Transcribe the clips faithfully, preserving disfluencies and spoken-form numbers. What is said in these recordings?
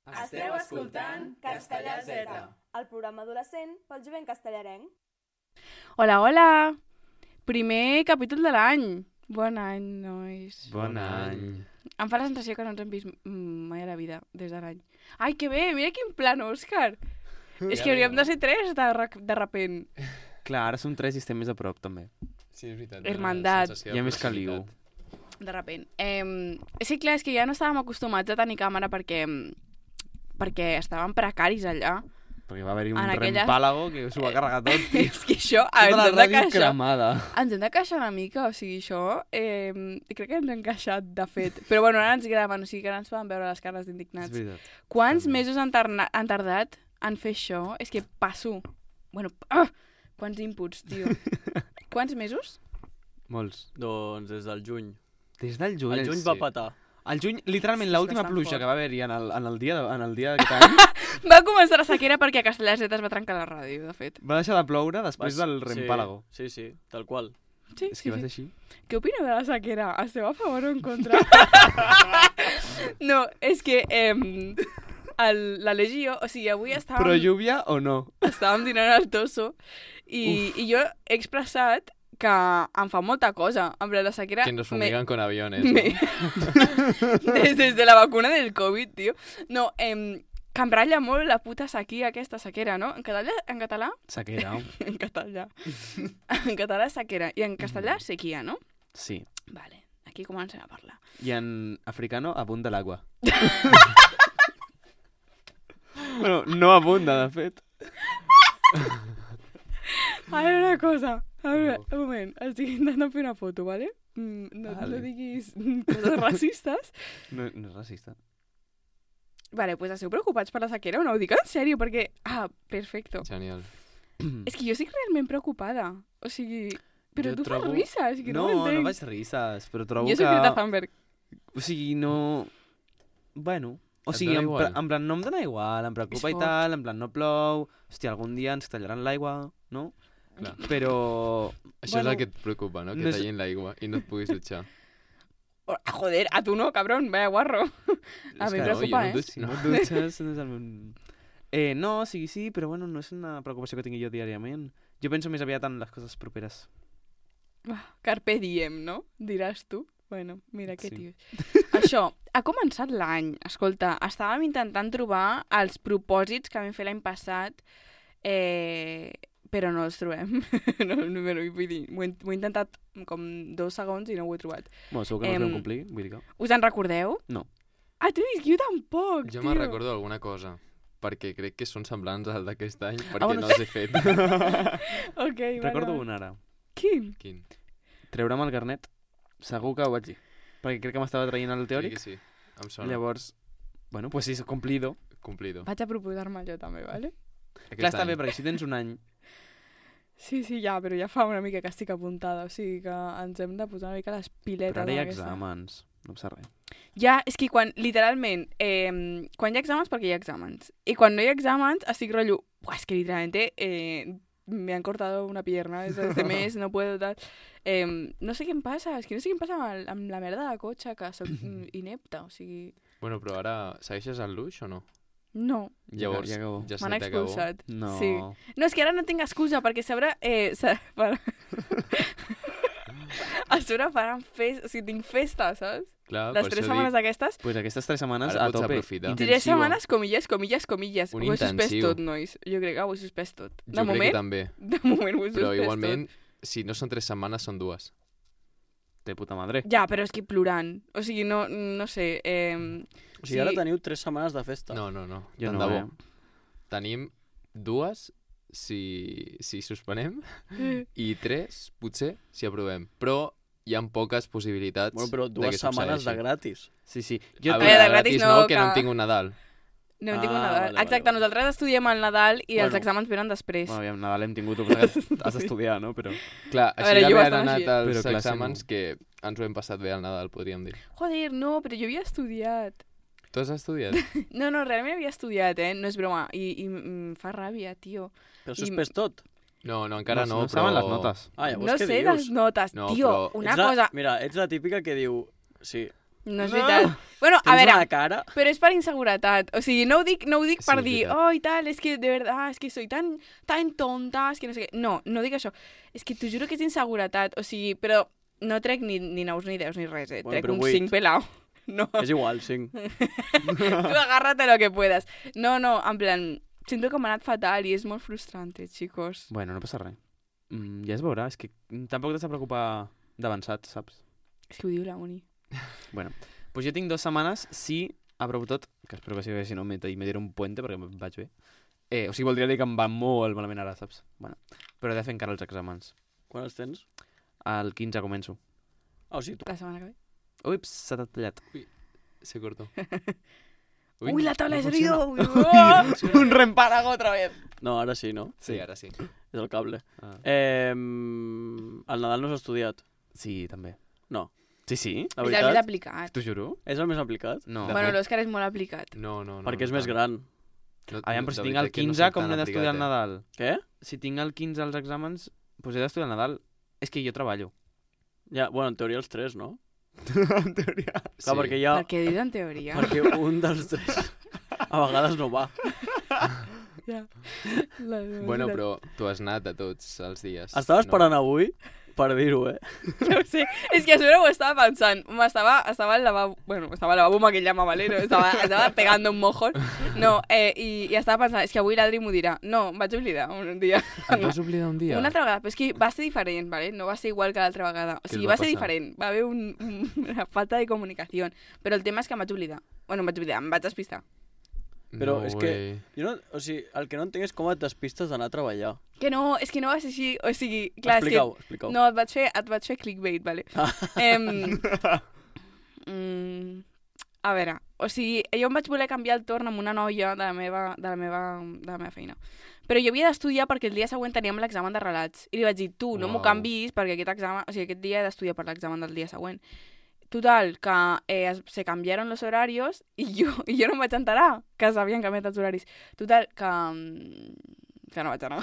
Esteu escoltant Castellà Z, el programa adolescent pel jovent castellarenc. Hola, hola! Primer capítol de l'any. Bon any, nois. Bon any. Em fa la sensació que no ens hem vist mai a la vida, des de l'any. Ai, que bé! Mira quin plan, Òscar! És que hauríem de ser tres de, de repent. Clar, ara som tres i estem més a prop, també. Sí, és veritat. Hermandat. Hi ha més caliu. De repent. Eh, sí, clar, és que ja no estàvem acostumats a tenir càmera perquè, perquè estàvem precaris allà. Perquè va haver-hi un En aquella- rempàlago que s'ho va carregar tot. tio. És que això Tota ens la hem de ràdio queixar. cremada. Ens hem de queixar una mica, o sigui, això eh, crec que ens hem queixat, de fet. Però bueno, ara ens graven, o sigui que ara ens poden veure les cares És d'indignats. veritat. Quants També. mesos han, tarna- han tardat en fer això? És que passo. Bueno, ah, quants inputs, tio. Quants mesos? Molts. Doncs des del juny. Des del juny. El juny sí. va petar. El juny, literalment, És l'última bastant pluja fort. que va haver-hi en, el, en, el dia de- en el dia d'aquest any Va començar la sequera perquè a Castellà Z es va trencar la ràdio, de fet. va deixar de ploure després Va- del rempàlago. Sí, sí, sí, tal qual. Sí, És sí, que va sí. ser així. Què opineu de la sequera? Esteu a favor o en contra? No, és que eh, el, la Legió, o sigui, avui estàvem, Però lluvia o no? estàvem dinant al Tosso i, i jo he expressat que em fa molta cosa. En plan, la sequera... Que nos me- fumigan con aviones. me- ¿no? des, des de la vacuna del Covid, tio. No, eh, que em ratlla molt la puta sequia, aquesta sequera, no? En català, en català, Sequera. en català, en català sequera i en castellà sequia, no? Sí. Vale, aquí comencem a parlar. I en africano abunda l'aigua. Bueno, no abunda, de fet. A veure una cosa, a veure, un moment, estic intentant fer una foto, vale? Mm, no, Vale. no diguis coses racistes. No, no és racista. Vale, pues esteu preocupats per la sequera o no? Ho dic en sèrio, perquè... Ah, perfecto. Genial. És que jo estic realment preocupada. O sigui... Però Jo tu trobo- fas risses, que no, No, ho no entenc. faig risses, però trobo Jo soc que... Greta Thunberg. O sigui, no... Bueno... O Et sigui, dona en, igual? pla- en plan, no em dona igual, em preocupa És i tal, en plan, no plou... Hòstia, algun dia ens tallaran l'aigua, no? Clar. Però... Això Bueno, és el que et preocupa, no? Que no és- tallin l'aigua i no et puguis dutxar. Oh, joder, a tu no, cabrón, vaya guarro. A És mi em que no, preocupa, jo no eh? dutxo. Si no et dutxes, no és el meu... Eh, no, sí, sí, però bueno, no és una preocupació que tingui jo diàriament. Jo penso més aviat en les coses properes. Ah, Carpe diem, no? Diràs tu. Bueno, mira que Sí. tio. Això, ha començat l'any. Escolta, estàvem intentant trobar els propòsits que vam fer l'any passat, eh, però no els trobem. no, no, no, vull dir, ho he, ho he intentat com dos segons i no ho he trobat. Bueno, segur que no us Em, vam complir, vull dir que... Us en recordeu? No. Ah, tu dius que jo tampoc, Jo tio. me'n recordo alguna cosa, perquè crec que són semblants al d'aquest any, perquè bueno, no els he fet. Ok, vale, Recordo vale. un ara. Quin? Quin? Treure'm el carnet, segur que ho vaig dir. Perquè crec que m'estava traient el teòric. Sí, que sí. Em sona. Llavors, bueno, pues sí, és complido. Complido. Vaig a proposar-me jo també, vale? Aquest Clar, està any. bé, perquè si tens un any... Sí, sí, ja, però ja fa una mica que estic apuntada, o sigui que ens hem de posar una mica les piletes. Però ara hi ha amb aquesta. exàmens, no passa res. Ja, és que quan, literalment, eh, quan hi ha exàmens, perquè hi ha exàmens. I quan no hi ha exàmens, estic rotllo, buah, és que literalmente eh, me han cortado una pierna desde este mes, no puedo tal. Eh, no sé què em passa, és que no sé què em passa amb, el, amb la merda de cotxe, que soc mm, inepta, o sigui... Bueno, però ara segueixes al luix o no? No, Llavors, ja acabó. ja se m'han t'acabó. expulsat. No. Sí. No, és que ara no tinc excusa, perquè a sobre... Eh, sa- per... a sobre faran festa, o sigui, tinc festa, saps? Clar, Les per tres això setmanes dic, d'aquestes, Pues aquestes tres setmanes Ara a pots tope. aprofitar. Intensivo. tres setmanes, comilles, comilles, comilles. Un ho he suspès intensiu. tot, nois. Jo crec que ho he suspès tot. De jo crec moment, que també. de moment ho he suspès Però igualment, tot. si no són tres setmanes, són dues. De puta madre. Ja, però és que plorant. O sigui, no, no sé. Eh, O sigui, ara teniu tres setmanes de festa. No, no, no. Jo Tant no, de eh? bo. Tenim dues si, si suspenem i tres, potser, si aprovem. Però hi ha poques possibilitats Bueno, però de dues que setmanes de succeeixi. gratis. Sí, sí. Jo Jo a veure, veure, de gratis no, que no que- en tinc un Nadal. no hem tingut Ah, Nadal. vale, vale, Exacte, vale. nosaltres estudiem al Nadal i els Bueno. exàmens venen després. Bueno, aviam, Nadal hem tingut, però has d'estudiar, no? Però... Clar, A així veure, jo d'haver bastant anat així. als Però classe exàmens no. que ens ho hem passat bé al Nadal, podríem dir. Joder, no, però jo havia estudiat. Tu has estudiat? No, no, realment havia estudiat, eh? No és broma. I, i em fa ràbia, tio. Però I- suspès tot. No, no, encara no, no però... saben les notes. Ah, llavors No què sé dius? les notes. No, Tio, però- una ets la, cosa... Mira, ets la típica que diu... Sí, No és No. veritat. Bueno, a Tens veure, una cara... però és per inseguretat. O sigui, no ho dic, no ho dic Sí, per és dir, veritat. oh, i tal, és que de verdad, és que soy tan, tan tonta, és que no sé què. No, no dic això. És que t'ho juro que és inseguretat. O sigui, però no trec ni, ni nous ni deus ni res, eh? Bueno, Trec però un vuit. cinc pelao. No, És igual, cinc. tu agárrate lo que puedas. No, no, en plan, siento que m'ha anat fatal i és molt frustrant, chicos. Bueno, no passa res. Mm, ja es veurà, és que tampoc t'has de preocupar d'avançat, saps? És que ho diu la Uni. Bueno, pues jo tinc dues setmanes, si aprovo tot, que espero que sigui, si no, me, me diré un puente perquè em vaig bé. Eh, o sigui, voldria dir que em va molt malament ara, saps? Bueno, però he de fer encara els exàmens. Quan els tens? El quinze començo. Ah, o sigui, tu... La setmana que ve. Ups, s'ha tallat. Se cortó. Uy, la tabla de no sonido. Un reempalago otra vez. No, ara sí, no? Sí, ara sí. És el cable. Ah. Eh, el Nadal no s'ha estudiat. Sí, també. No. Sí, sí? La És el més veritat, aplicat. T'ho juro? és el més aplicat? No. De Bueno, fet- l'Òscar és molt aplicat. No, no, no. Perquè és no més tant. gran. No, Aviam, però si de tinc el veritat que no quinze, soc com tan n'he d'estudiar al aplicat, Nadal? Què? Si tinc el quinze als exàmens, doncs he d'estudiar al Nadal. És que jo treballo. Ja, bueno, en teoria els tres, no? en teoria. Eh? Clar, Sí. perquè hi ha... Per què dius en teoria? Perquè un dels tres a vegades no va. Ja. La... Bueno, però tu has anat a tots els dies. Estava esperant avui per dir-ho, eh? No ho sé, és que a sobre ho estava pensant. M'estava, estava al lavabo, bueno, estava al lavabo amb aquell llamavalero, estava, estava pegando un mojón. No, eh, i, i estava pensant, és que avui l'Adri m'ho dirà. No, em vaig oblidar un dia. Et vas oblidar un dia? Una altra vegada, però és que va ser diferent, ¿vale? No va ser igual que l'altra vegada. O Què sigui, et va va ser passar? diferent. Va haver un, un, una falta de comunicació. Però el tema és que em vaig oblidar. Bueno, em vaig oblidar, em vaig despistar. Però No és que... way. Jo no, o sigui, el que no entenc és com et despistes d'anar a treballar. Que no, és que no va ser així. O sigui, clar, Explica-ho, és que... explica-ho. No, et vaig fer, et vaig fer clickbait, vale? Ah. Em, mm, a veure, o sigui, jo em vaig voler canviar el torn amb una noia de la meva, de la meva, de la meva feina. Però jo havia d'estudiar perquè el dia següent teníem l'examen de relats. I li vaig dir, tu, no m'ho Uau. canvis perquè aquest examen, o sigui, aquest dia he d'estudiar per l'examen del dia següent. Total, que eh, es- se cambiaron los horarios i jo, i jo no em vaig enterar que s'havien canviat els horaris. Total, que, mm, que no vaig anar.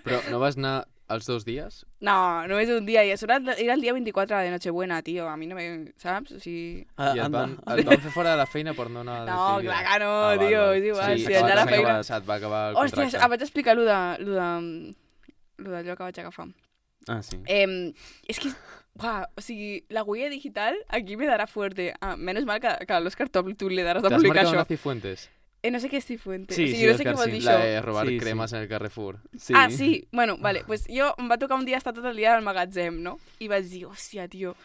Però no vas anar els dos dies? No, només un dia, i a sobre era el dia veinticuatro de Nochebuena, tio, a mi no me... saps? O sigui... Ah, I et anda. van, et van fer fora de la feina per no anar a No, l'activitat? clar que no, Ah, val, tio, val. és igual, Sí, si s'acaba- allà a la s'acaba- feina... Se't va acabar el Hòstia, contracte. ah, vaig explicar lo de, lo de, lo d'allò que vaig agafar. Ah, sí. Eh, és que, uah, o sigui, la huella digital aquí me darà fuerte. Ah, menos mal que, que a l'Òscar Top tu li daràs de ¿Te has publicar marcado això. una Cifuentes? Eh, no sé què és Cifuentes. Sí, o sigui, sí, no sé Òscar, què vol sí. dir La això. de robar Sí, sí. cremes en el Carrefour. Sí. Ah, sí. Bueno, vale, pues jo em va tocar un dia estar tot el dia al magatzem, no? I vaig dir, hòstia, tio,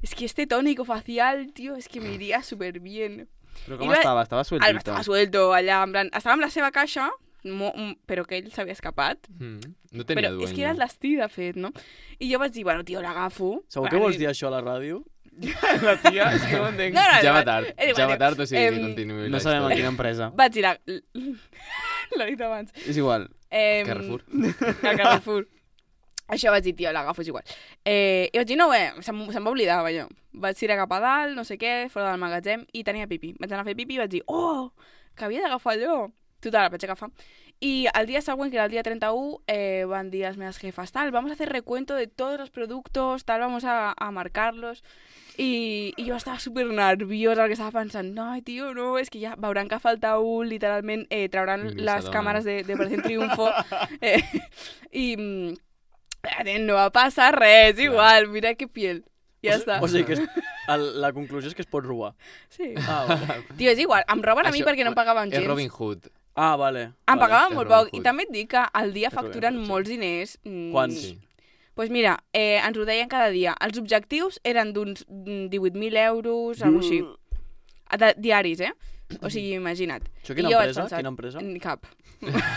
es que este tónico facial, tío, es que me iría súper bien. Però com I va- estava? Estava El sueltito. estava suelto allà, en plan, estava amb la seva caixa, mo, m- però que ell s'havia escapat. Mm. No tenia Però dueño. és que era el destí, de fet, no? I jo vaig dir, bueno, tio, l'agafo. Segur que vols dir això a la ràdio? La tia, és que no entenc. No, no, Ja va no, tard, és igual, ja va tio. tard, o sigui Em, que continuï No la sabem a història. quina empresa. Vaig dir, la... l'he dit abans. És igual. Eh, Carrefour. Al Carrefour. Això vaig dir, tio, l'agafo, és igual. Eh, I vaig dir, no, bé, se'm, se'm va oblidar, vaja. Vaig tirar cap a dalt, no sé què, fora del magatzem, i tenia pipi. Vaig anar a fer pipi i vaig dir, oh, que havia d'agafar allò. Total, el vaig agafar. Y al día següent, que era el día treinta y uno, eh, van dir les meves jefes, tal, vamos a hacer recuento de todos los productos, tal, vamos a, a marcarlos. I, i jo estava super nerviosa perquè estava pensant, no, tio, no, és que ja veuran que falta un, literalment eh, trauran Ni les s'adonen. càmeres de, de Operación Triunfo eh, i mm, eh, no va passar res, igual, mira que piel. Ja o, està. O sigui que és, el, la conclusió és que es pot robar. Sí. Ah, vale. Tio, és igual, em roben a mi Això- perquè no em pagaven És gens. Robin Hood. Ah, vale. Em vale. pagaven és molt Robin poc. Hood. I també et dic que al dia És Robin facturen Hood, sí. molts diners. Mm, Quants? Sí. Pues mira, eh, ens ho deien cada dia. Els objectius eren d'uns mm, divuit mil euros, alguna així. De, diaris, eh? O sigui, imagina't. Això I quina jo vaig empresa? pensar, Quina empresa? mm, Cap.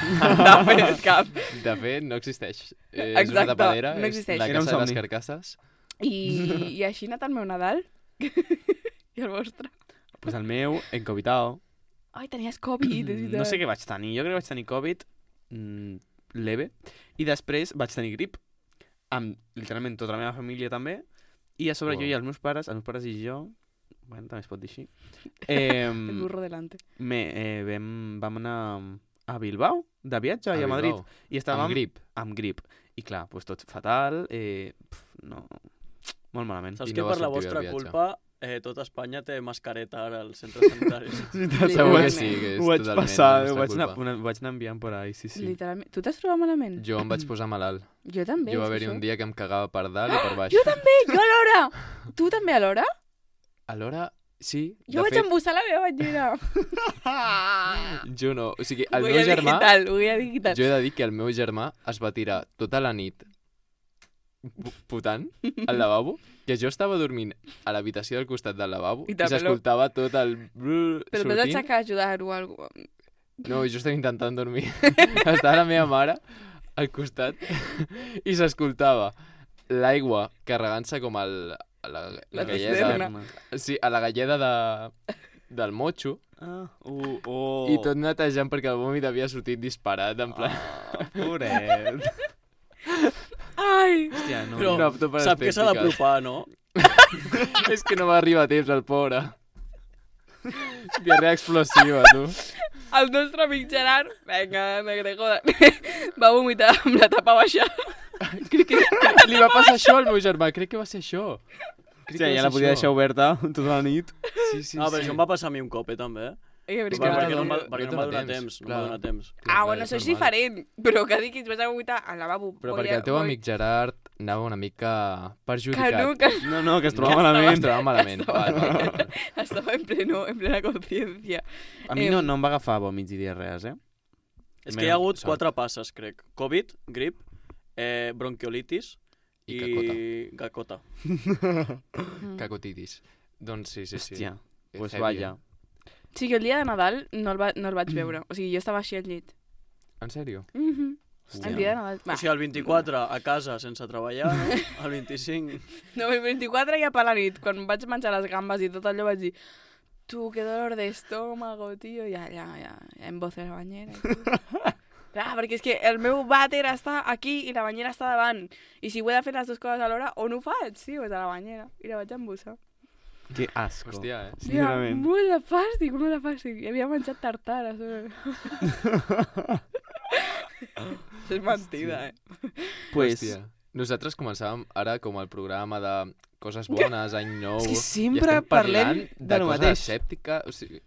De fet, cap. De fet, no existeix. Eh, és Exacte, una tapadera, no és existeix. la Era un casa de les somni. carcasses. I, i així ha anat el meu Nadal. I el vostre. Pues el meu, encovitao. Ai, tenies Covid, és veritat. No sé què vaig tenir. Jo crec que vaig tenir Covid mm, leve. I després vaig tenir grip. Amb literalment tota la meva família també. I a sobre Wow. jo i els meus pares, els meus pares i jo, bueno, també es pot dir així, eh, El burro delante. me, eh, vam, vam anar a Bilbao, de viatge, i a Madrid. Bilbao. I estàvem Amb grip. amb grip. I clar, pues tot fatal, eh, pf, no, molt malament. Saps I que no va per la sortir vostra del viatge. culpa eh, tot Espanya té mascareta ara als centres sanitaris. Segur que sí, que és Ho vaig totalment passar, la ho nostra vaig anar, culpa. una, ho vaig anar enviant per ahí, sí, sí. Literalment. Tu t'has trobat malament? Jo em vaig posar malalt. Jo també. Jo va és que haver-hi això- un dia que em cagava per dalt i per baix. Jo també, jo alhora! Tu també alhora? Alhora, sí, Jo de vaig fet, embussar la meva banyera. jo no. O sigui, el Voy meu a germà... digital, voy a digital. Jo he de dir que el meu germà es va tirar tota la nit pu- putant al lavabo, que jo estava dormint a l'habitació del costat del lavabo I i, també s'escoltava tot el... brrr Però m'has sortint. d'aixecar a ajudar o alguna cosa. No, jo estava intentant dormir. Estava la meva mare al costat i s'escoltava l'aigua carregant-se com el, a la, la, La galleda. cisterna. Sí, a la galleda de, del motxo Ah, uh, oh. i tot netejant perquè el vòmit havia sortit disparat, en plan... Ah, pobret. Ai! Hòstia, no. Però no apto per sap que s'ha estètiques. d'apropar, no? És que no va arribar a temps, el pobre. Diarrea explosiva, tu. El nostre amic Gerard, vinga, negre, joder, va vomitar amb la tapa baixa. Crec que li va passar això al meu germà, crec que va ser això. Crec Hòstia, que va ja la ser podia això. deixar oberta tota la nit. Sí, sí, Ah, però sí. això em va passar a mi un cop, eh, també. Eh, que Perquè, veritat. perquè no, em va, no perquè no em va donar temps. No em va clar. donar temps. Ah, bueno, això és diferent. Però que dic que et vas a vomitar al lavabo. Però Voy perquè a- el teu voy- amic Gerard anava una mica Que perjudicat. no, que No, no, que es Que trobava estava- Es malament. trobava malament. Vale, vale, vale. estava en, pleno, en plena consciència. A mi Em- no, no em va agafar vòmits i diarrees, eh? És que hi ha hagut Sort. quatre passes, crec. Covid, grip, eh, bronquiolitis I i gacota. Mm. Cacotitis. Doncs sí, sí, sí. Hòstia, Que pues heavy, vaya. eh? Sí, que el dia de Nadal no el, va, no el vaig veure. O sigui, jo estava així al llit. En sèrio? Mm -hmm. Hòstia. El dia de Nadal. Va. O sigui, el vint-i-quatre a casa sense treballar, no? El vint-i-cinc... No, el vint-i-quatre ja per la nit, quan vaig menjar les gambes i tot allò vaig dir tu, qué dolor de estómago, tio. Ja, ja, ja, ja em boce la banyera. Clar, perquè és que el meu vàter està aquí i la banyera està davant. I si ho he de fer les dues coses alhora, on ho faig? Sí, pues a la banyera. I la vaig embussar. Que asco. Hòstia, eh? Sí, Ja, realment. molt de fàstic, molt de fàstic. I havia menjat tartara. sobre. Això és mentida, eh? Pues, Hòstia. Nosaltres començàvem ara com el programa de coses bones, any nou... És que i sempre estem parlem parlant de lo coses mateix. escèptiques. O sigui,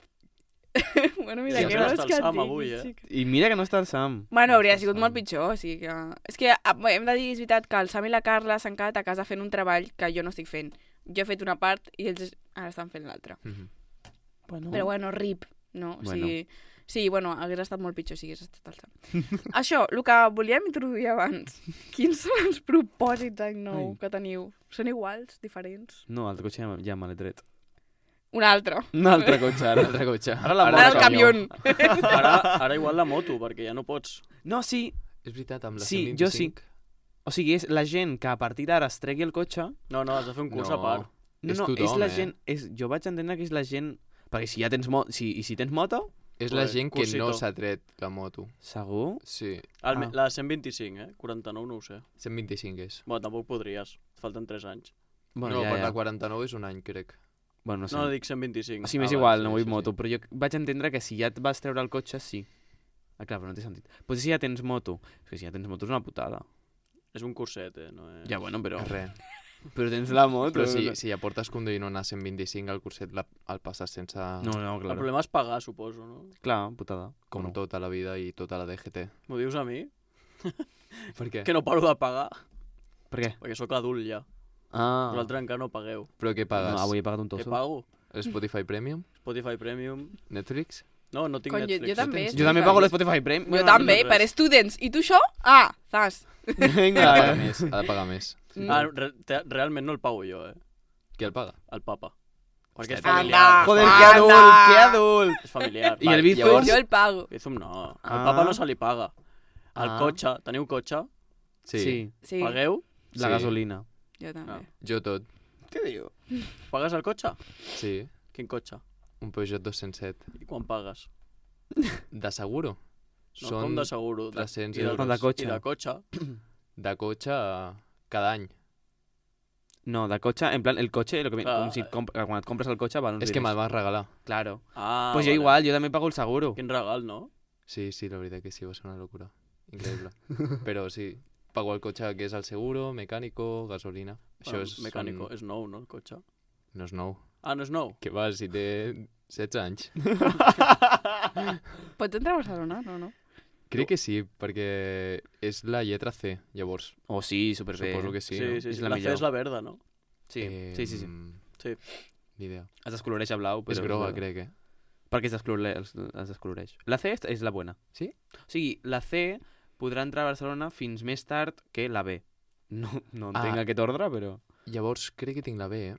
Bueno, mira, Sí, què ja vols està el que et Sam digui, avui, eh? xic? I mira que no està el Sam. Bueno, hauria sigut Sam. molt pitjor, o sigui que... És que ah, bé, hem de dir, és veritat, que el Sam i la Carla s'han quedat a casa fent un treball que jo no estic fent. Jo he fet una part i ells ara estan fent l'altra. mhm. Bueno. Però bueno, rip, no? O Bueno. sigui, sí, bueno, hagués estat molt pitjor si hagués estat el Sam. Això, el que volíem introduir abans. Quins són els propòsits d'any nou Ai. que teniu? Són iguals, diferents? No, el cotxe ja, ja me l'he tret. Un altre. Un altre cotxe, ara. L'altre cotxe. Ara la Ara el camió. camió. Ara, ara igual la moto, perquè ja no pots... No, sí. És veritat, amb la Sí, cent jo sí. vint-i-cinc. O sigui, és la gent que a partir d'ara es tregui el cotxe... No, no, has de fer un curs No. a part. No, És no, és tothom, la eh? gent... És, jo vaig entendre que és la gent... Perquè si ja tens moto... Si, I si tens moto, És la Pues, gent que no cursito. s'ha tret la moto. segur... Sí, El, Ah. La cent vint-i-cinc, eh? quaranta-nou no ho sé. cent vint-i-cinc és. Bueno, tampoc podries. Et falten tres anys. Bueno, no, ja, per ja. la quaranta-nou és un any, crec. Bueno, no sé. No, dic cent vint-i-cinc. O sigui, m'és Ah, igual, vale, no sí, vull sí, moto, sí. però jo vaig entendre que si ja et vas treure el cotxe, sí. Ah, clar, però no té sentit. Potser si ja tens moto. És que si ja tens moto és una putada. És un curset, eh? No és... Ja, bueno, però... Res. Però tens la moto. Però si, si ja portes conduint una cent vint-i-cinc, el curset la, el passes sense... No, no, El clar. problema és pagar, suposo, no? Clar, putada. Com no. tota la vida i tota la D G T. M'ho dius a mi? Per què? Que no paro de pagar, Per què? perquè sóc adult ja. Ah, Vosaltres encara no pagueu. Però què pagues? no, avui he pagat un Què tosso. pago? Spotify Premium? Spotify Premium... Netflix? No, no tinc Cony, jo, Netflix. jo també. tens- Jo també pago l'Spotify Premium. Jo Bueno, no també, tinc per res. students. I tu això? Ah, zas. Ha de Vinga. pagar més, ha de pagar més. Mm. Ah, re te- realment no el pago jo, eh? Qui el paga? El papa. Perquè és Anda. familiar. Joder, Anda. que adult, que adult. És familiar. I el Vale, Bizum? llavors- Jo el pago. Bizum no. Al Ah. papa no se li paga. El Ah. cotxe, teniu cotxe? Sí, Sí, Sí, Pagueu? la Sí. gasolina. jo també. Ah. jo tot. Què diu? Pagues el cotxe? Sí, Quin cotxe? un Peugeot dos-cents set. I quan pagues? De seguro? No, com de seguro? De, tres-cents i de, euros. de cotxe. I de cotxe? De cotxe eh, cada any. No, de cotxe, en plan, el cotxe, lo que, Clar, com si et comp quan et compres el cotxe, val uns És que diners. me'l van regalar. Claro. Ah, pues jo vale. igual, jo també pago el seguro. Quin regal, no? Sí, sí, la veritat que sí, va ser una locura. Increïble. Però sí, pago el cotxe que és el seguro, mecànico, gasolina. Això Bueno, és... mecànico. Són... És nou, no, el cotxe? No és nou. Ah, no és nou? Que va, si té setze anys. Pots entrar a Barcelona? No, no. Crec que sí, perquè és la lletra C, llavors. Oh, sí, superbé. Suposo que sí, sí, no? sí, És sí. la La, millor. C és la verda, no? Sí, Eh, sí, sí, sí. Sí. Ni idea. Es descoloreix a blau, però... És groga, crec, eh? Perquè es descoloreix, es descoloreix. La C és- és la bona. Sí? O sigui, la C podrà entrar a Barcelona fins més tard que la B. No, no entenc Ah. aquest ordre, però... Llavors, crec que tinc la B, eh?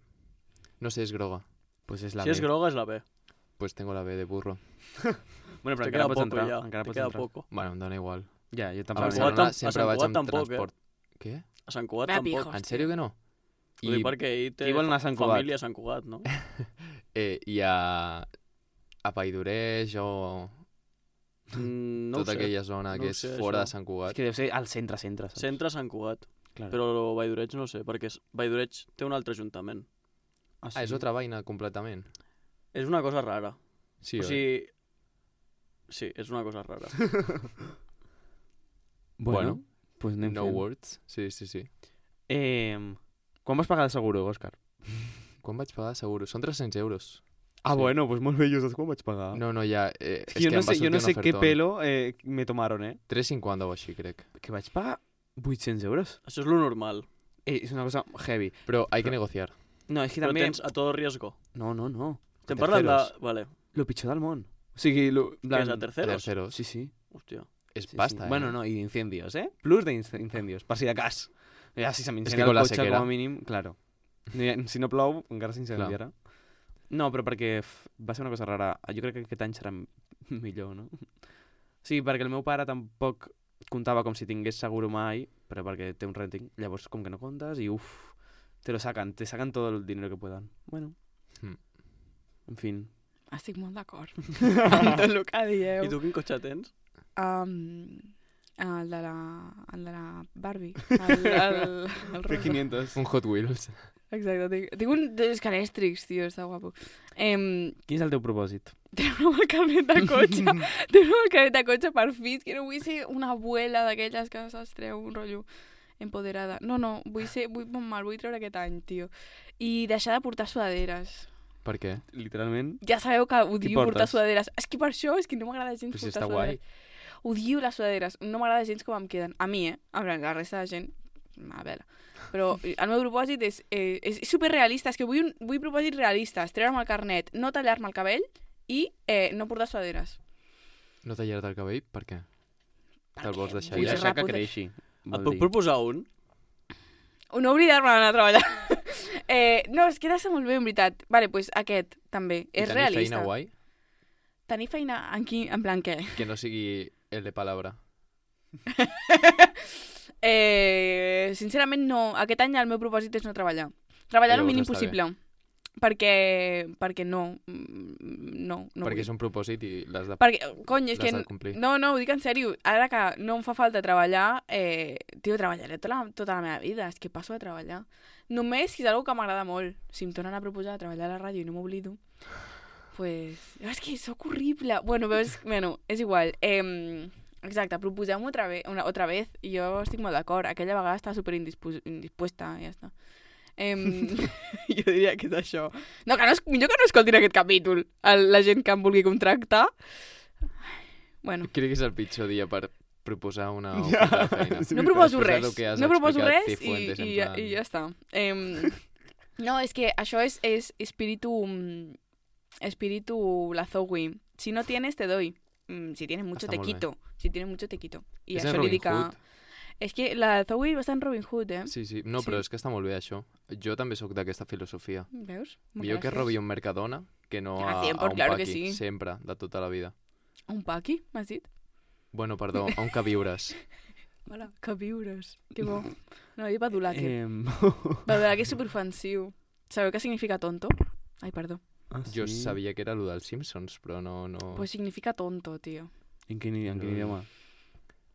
No sé, és groga. Pues és la Si B. és groga, és la B. Pues tengo la B de burro. Bueno, però Te encara queda pots poco entrar. ja. Encara Te pots queda entrar. poco. Bueno, em dona igual. Ja, jo A tampoc. A Sant Barcelona Cugat tam- a sempre Sant vaig Cugat amb tampoc, eh? transport. Què? A Sant Cugat Va, tampoc. pijos. En sèrio que no? Ho dic perquè ell té Qui vol anar a Sant Cugat? família a Sant Cugat, no? Eh, I a... a Paidoreix o Mm, no ho tota sé. aquella zona No que ho és sé, fora això. de Sant És Cugat. que deu ser al centre, centre, saps? Centre Sant Cugat. Clar. Però Valldoreig no sé, perquè és- Valldoreig té un altre ajuntament. Ah, Ah, és otra vaina completament. És una cosa rara. Sí, o oi? sigui... Sí, és una cosa rara. Bueno, pues anem No fent. words. Sí, sí, sí. Eh, quan vas pagar de seguro, Òscar? Quan vaig pagar, seguro? Són tres-cents euros. Ah, Sí. bueno, pues molt bé, jo saps quan vaig pagar. No, no, ja... Eh, És que jo no em va sé, jo no sortir sé un què ofertón. pelo eh, me tomaron, eh? tres cinquanta o així, crec. Que vaig pagar vuit-cents euros. Això és lo normal. Eh, és una cosa heavy. Però hay que negociar. No, és que Però també... tens a todo riesgo. No, no, no. Estem A parlant de... terceros. Vale. Lo pitjor del món. O sigui, lo... Què és, a terceros? Terceros. Sí, sí. Hòstia. És sí, pasta, sí. eh? Bueno, no, i d'incendios, eh? Plus d'incendios, per si de cas. Ja, si se que m'incendia con el la cotxe, sequera. com a mínim, claro. Ni- Si no plou, encara s'incendiarà. No, però perquè f- va ser una cosa rara. Jo crec que aquest any serà m- millor, no? Sí, perquè el meu pare tampoc comptava com si tingués seguro mai, però perquè té un renting. Llavors, com que no comptes, i uf, te lo sacan, te sacan todo el dinero que puedan. Bueno. Mm. En fin. Estic molt d'acord amb tot el que dieu. I tu quin cotxe tens? Um, el, de la, el de la Barbie. El, el, el rosa. quinientos. Un Hot Wheels. Exacte. Tinc, tinc un dels calèstrics, tio, està guapo. Um, Quin és el teu propòsit? treure el carnet de cotxe. treure el carnet de cotxe per fills, que no vull ser una abuela d'aquelles que se'ls treu un rotllo empoderada. No, no, vull ser, vull, me'l vull treure aquest any, tio. I deixar de portar sudaderes. Per què? Literalment. Ja sabeu que odio portes? portar sudaderes. És que per això, és que no m'agrada gens Però si portar està guai. sudaderes. Odio les sudaderes. No m'agrada gens com em queden. A mi, eh? A veure, la resta de gent, a veure. Però el meu propòsit és, eh, és superrealista. És que vull, un, vull propòsits realistes. Treure'm el carnet, no tallar-me el cabell i eh, no portar sudaderes. No tallar-te el cabell? Per què? Te'l vols deixar vull I ja? ser deixar que ràpida. creixi. Et vol puc dir. proposar un? No oblidar-me d'anar a treballar. eh, no, és que ha de ser molt bé, en veritat. Vale, doncs pues aquest, també. I És tenir realista. feina guai? Tenir feina en, qui, en plan què? Que no sigui el de palabra. eh, sincerament, no. Aquest any el meu propòsit és no treballar. Treballar el Llavors mínim està possible. Perquè, perquè no. Mm, No, no Perquè vull. és un propòsit i l'has de, Perquè, cony, és que... l'has de complir. No, no, ho dic en sèrio. Ara que no em fa falta treballar, eh, tio, treballaré tota la, tota la meva vida. És que passo a treballar. Només si és una que m'agrada molt. Si em tornen a proposar treballar a la ràdio i no m'oblido, pues... És que sóc horrible. Bueno, veus, bueno, és igual. Eh, exacte, proposeu-m'ho otra, ve una, otra vez i jo estic molt d'acord. Aquella vegada estava super indispuesta i ja està. Em, jo diria que és això. No, que no, es- millor que no escoltin aquest capítol el, la gent que em vulgui contractar. Bueno, Crec que és el pitjor dia per proposar una oferta de feina. Sí, no veritat. proposo Després de res, lo que has no proposo explicat, res i, Cifuentes, en i, plan- i ja està. Em, no, és que això és, és espíritu, mm, espíritu Lazowi. Si no tienes, te doy. Mm, Si tienes mucho, Està te molt bé. quito. Si tienes mucho, te quito. I És en això li Robin dic a... Hood. És que la Zoe va estar en Robin Hood, eh? Sí, sí. No, Sí. però és que està molt bé, això. Jo també sóc d'aquesta filosofia. Veus? Millor que Gràcies. robi un Mercadona que no Ah, a, cien por, a un claro que paqui. sí. Sempre, de tota la vida. Un paqui, m'has dit? Bueno, perdó, a un que viures. Hola, que viures. Que bo. No, jo badulaque. Em... Badulaque és superofensiu. Sabeu què significa tonto? Ai, perdó. Ah, Jo sí? sabia que era allò dels Simpsons, però no... no... Pues significa tonto, tio. En quin, en quin No. idioma?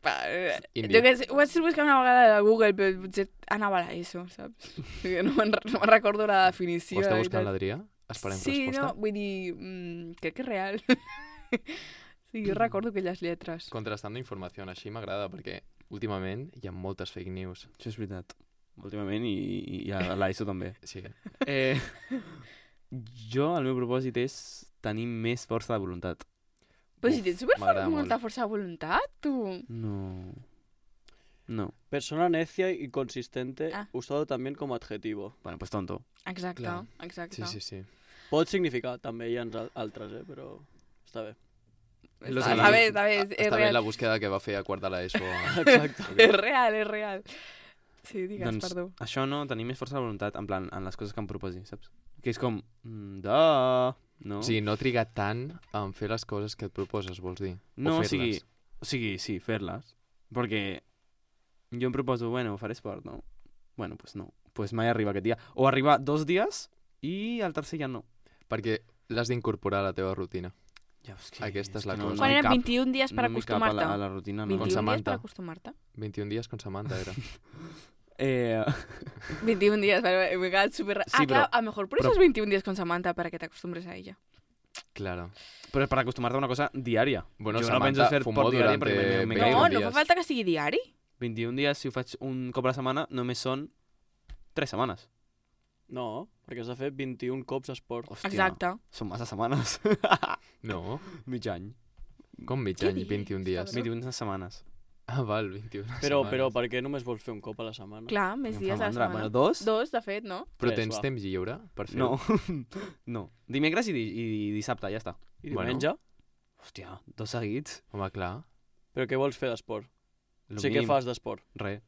Pa, eh, Indi. jo que sé, ho vaig buscar una vegada a Google, però potser anava a l'ESO, saps? Perquè no me'n no me'n recordo la definició. Ho està la buscant veritat. l'Adrià? Esperem Sí, resposta. no, vull dir, mm, crec que és real. Sí, jo recordo aquelles lletres. Contrastando informació, així m'agrada, perquè últimament hi ha moltes fake news. Això és veritat. Últimament i, i a l'ESO també. Sí. Eh, Jo, el meu propòsit és tenir més força de voluntat. Però si tens super m'agrada molta molt. força de voluntat, tu. No. No. Persona necia y consistente Ah. usado también como adjetivo. Bueno, pues tonto. Exacte, Clar. exacte. Sí, sí, sí. Pot significar, també hi ha al- altres, eh? Però està bé. Lo Està, sé. està bé, està bé, és, és Està bé real. la búsqueda que va fer a quart de l'ESO. Exacte. És real, és real. Sí, digues, Doncs perdó. això no, tenir més força de voluntat, en plan, en les coses que em proposi, saps? Que és com, mm, da, no? O sigui, no trigar tant en fer les coses que et proposes, vols dir? no, o o sigui, fer-les. o sigui, sí, fer-les. Perquè jo em proposo, bueno, faré esport, no? Bueno, pues no. Pues mai arriba aquest dia. O arriba dos dies i el tercer ja no. Perquè l'has d'incorporar a la teva rutina. Ja, és que, Aquesta és la que cosa. Quan hi eren cap- vint-i-un dies per no m'hi cap a acostumar-te? la, a la rutina, no. vint-i-un dies Samantha. per acostumar-te? vint-i-un dies con Samantha era. Eh, vint-i-un dies, vale, me he quedat súper... Sí, ah, clar, però- a lo mejor por però- esos veintiún días con Samantha para que te acostumbres a ella. Claro. però és per acostumar-te a una cosa diària. Bueno, jo no Samantha penso fer fumó esport diari durante perquè me, me veinte No, caigo. no días. fa falta que sigui diari. vint-i-un dies, si ho faig un cop a la setmana, només són tres setmanes. No, perquè has de fer vint-i-un cops esport. Hòstia, Exacte. són massa setmanes. No, Mig any. com mig Què any, dius, vint-i-un dies. cabró? vint-i-un setmanes. Ah, val, vint-i-un Però, setmanes. però per què només vols fer un cop a la setmana? Clar, més Em dies fa a la mandra. setmana. Bueno, dos? Dos, de fet, no? Però Tres, tens va. temps lliure per fer-ho? No. no. Dimecres i, di i dissabte, ja està. I Bueno. diumenge? Hòstia, dos seguits. Home, clar. Però què vols fer d'esport? Lo O sigui, què mínim. fas d'esport? Res.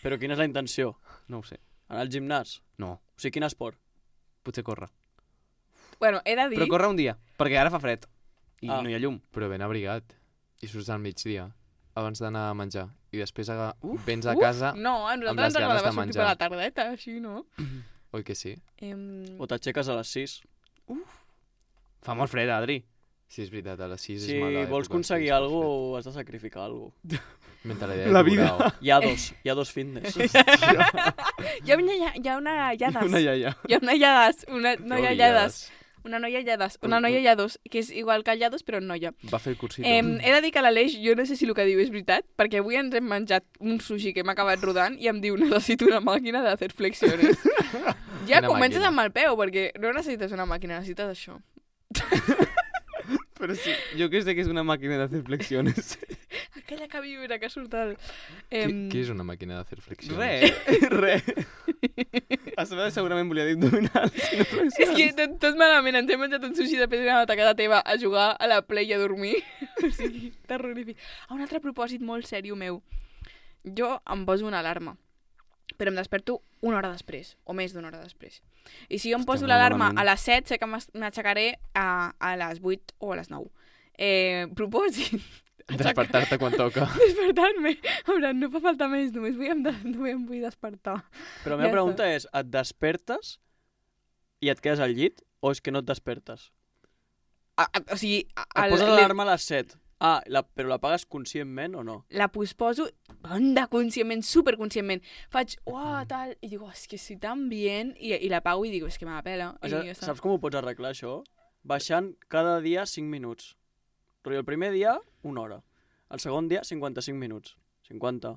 Però quina és la intenció? No ho sé. Anar al gimnàs? No. O sigui, quin esport? Potser córrer. Bueno, he de dir... Però córrer un dia, perquè ara fa fred. I Ah. no hi ha llum. Però ben abrigat. I surts al migdia, abans d'anar a menjar. I després aga... Uf, vens a uf, casa... No, a amb nosaltres les ens agradava ganes de sortir per menjar. la tardeta, així, no? Oi que sí? Em... O t'aixeques a les sis? Fa molt fred, Adri. Sí, és veritat, a les sis Si és mala vols època, aconseguir sí, és alguna molt cosa, has de sacrificar alguna cosa. fred. Mentalitat La de vida. tiburau. Hi ha dos, hi ha dos fitness. Hi ha una, hi ha una lladas. Una iaia. Hi ha una lladas. Una noia Odiades. lladas. Una noia lladas. Una noia llados, que és igual que llados, però noia. Va fer el cursito. Eh, he de dir que l'Aleix, jo no sé si el que diu és veritat, perquè avui ens hem menjat un sushi que hem acabat rodant i em diu necessito una màquina de fer flexiones. Ja Quina comences màquina? amb el peu, perquè no necessites una màquina, necessites això. Però sí, jo que sé que és una màquina de fer flexiones. Aquella que vibra, que surt el... Què, Em, què és una màquina de fer flexiones? Re, re. A sobre segurament volia dir abdominals. Si no És flexiones. que tot, tot malament, ens hem menjat un sushi de pedra a casa teva a jugar a la Play i a dormir. O sigui, terrorífic. Ah, un altre propòsit molt sèrio meu. Jo em poso una alarma, però em desperto una hora després, o més d'una hora després. I si jo em Hòstia, poso molt l'alarma malament. a les set, sé que m'as- m'aixecaré a, a les vuit o a les nou. Eh, propòsit. Despertar-te quan toca. Despertar-me. En plan, no fa falta més, només vull em, de, només em vull despertar. Però la Ja meva pregunta és, et despertes i et quedes al llit o és que no et despertes? A, a, o sigui... a- Et el- poses le- l'alarma a les set. Ah, la, però la pagues conscientment o no? la posposo banda conscientment, superconscientment. Faig, uah, tal, i digo, és que si tan bien, i, i la pago i digo, és que me la pela. I Això, ja està. saps com ho pots arreglar, això? Baixant cada dia cinc minuts. Però el primer dia, una hora. El segon dia, cinquanta-cinc minuts. cinquanta.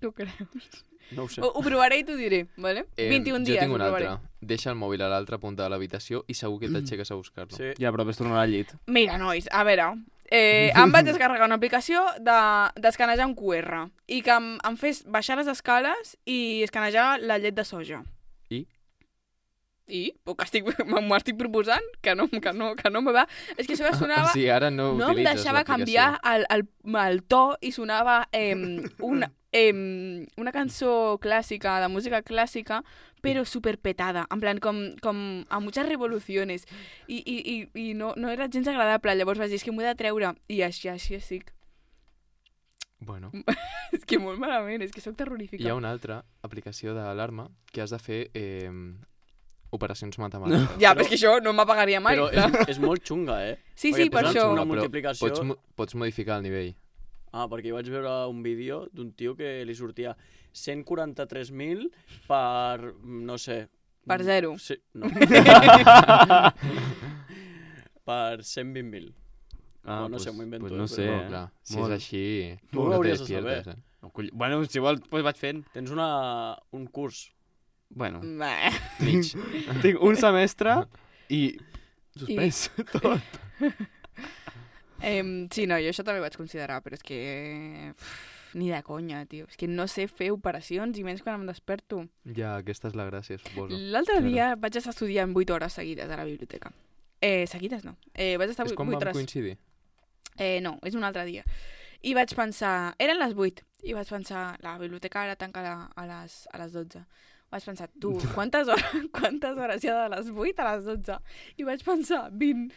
Tu creus? No ho sé. Ho, ho provaré i t'ho diré, vale? Eh, vint-i-un jo dies, tinc ho un provaré. altre. Deixa el mòbil a l'altra punta de l'habitació i segur que t'aixeques a buscar-lo. Sí. Ja, però ves tornar al llit. Mira, nois, a veure, eh, em vaig descarregar una aplicació de, d'escanejar un Q R i que em, em fes baixar les escales i escanejar la llet de soja. I? I? Però que estic, m'ho estic proposant, que no, que no, que no me va. És que això sonava... O sigui, ara no, No em utilitzes deixava l'aplicació. canviar el, el, el to i sonava eh, una, eh, una cançó clàssica, de música clàssica, però superpetada, en plan com, com a muchas revoluciones. I, i, i, i no, no era gens agradable. Llavors vaig dir, és que m'ho he de treure. I així, així estic. Bueno, És que molt malament, és que sóc terrorífica. hi ha una altra aplicació d'alarma que has de fer eh, operacions matemàtiques. Ja, Però- però és que això no m'apagaria mai. Però clar. és, és molt xunga, eh? Sí, perquè sí, per tens això. una Però multiplicació... Pots, mo- pots modificar el nivell. Ah, perquè jo vaig veure un vídeo d'un tio que li sortia cent quaranta-tres mil per, no sé... Per zero. Sí, no. per cent vint mil. Ah, No, no sé, m'ho invento, Pues no eh, sé, no, eh? clar, si Molt. és així, Tu ho no te hauries de despiertes, saber. eh? No, coll- Bueno, si vols, pues vaig fent. Tens una, un curs Bueno, Bah. Mig. tinc un semestre i suspès tot. Em, sí, no, jo això també ho vaig considerar, però és que... Uf, ni de conya, tio. És que no sé fer operacions, i menys quan em desperto. Ja, aquesta és la gràcia, suposo. L'altre Claro. dia vaig estar estudiant vuit hores seguides a la biblioteca. Eh, seguides no. Eh, vaig estar És quan vuit vam hores. coincidir? Eh, no, és un altre dia. I vaig pensar... Eren les vuit. I vaig pensar... La biblioteca ara tanca a, a, les, a les dotze. Vaig pensar, tu, quantes hores, quantes hores hi ha de les vuit a les dotze? I vaig pensar, vint.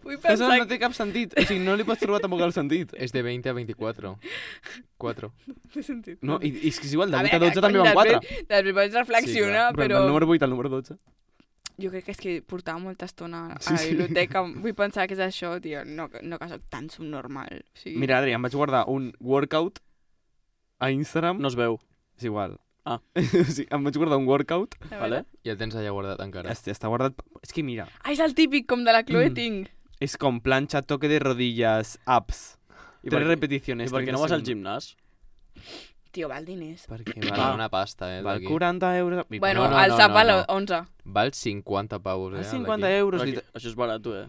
Vull Això pensar... no té cap sentit. O sigui, no li pots trobar tampoc el sentit. És de veinte a veinticuatro. quatre. No té sentit. No, i, i és que és igual, de A vuit a veure, dotze també cony, van quatre. després- Després vaig reflexionar, Però... però... El número vuit al número dotze. Jo crec que és que portava molta estona a Sí, la sí. biblioteca. Vull pensar que és això, tio. No, no que soc tan subnormal. O sigui... Mira, Adri, em vaig guardar un workout a Instagram. No es veu. És igual. Ah. Sí, em vaig guardar un workout. A veure. Vale? I el tens allà guardat encara. Està, està guardat... És que mira, Ah, és el típic, com de la Chloe Mm. Ting. és com planxa, toque de rodillas, abs. I Tres per, repeticiones. I per què no treinta vas al segundos. gimnàs? Tio, val diners. Perquè Val val, una pasta, eh, val d'aquí. quaranta euros. I Bueno, no, no, el no, sap no, val no. onze. Val cinquanta pavos, eh, val el cinquanta d'aquí. euros. Però li- aquí- això és barat, eh?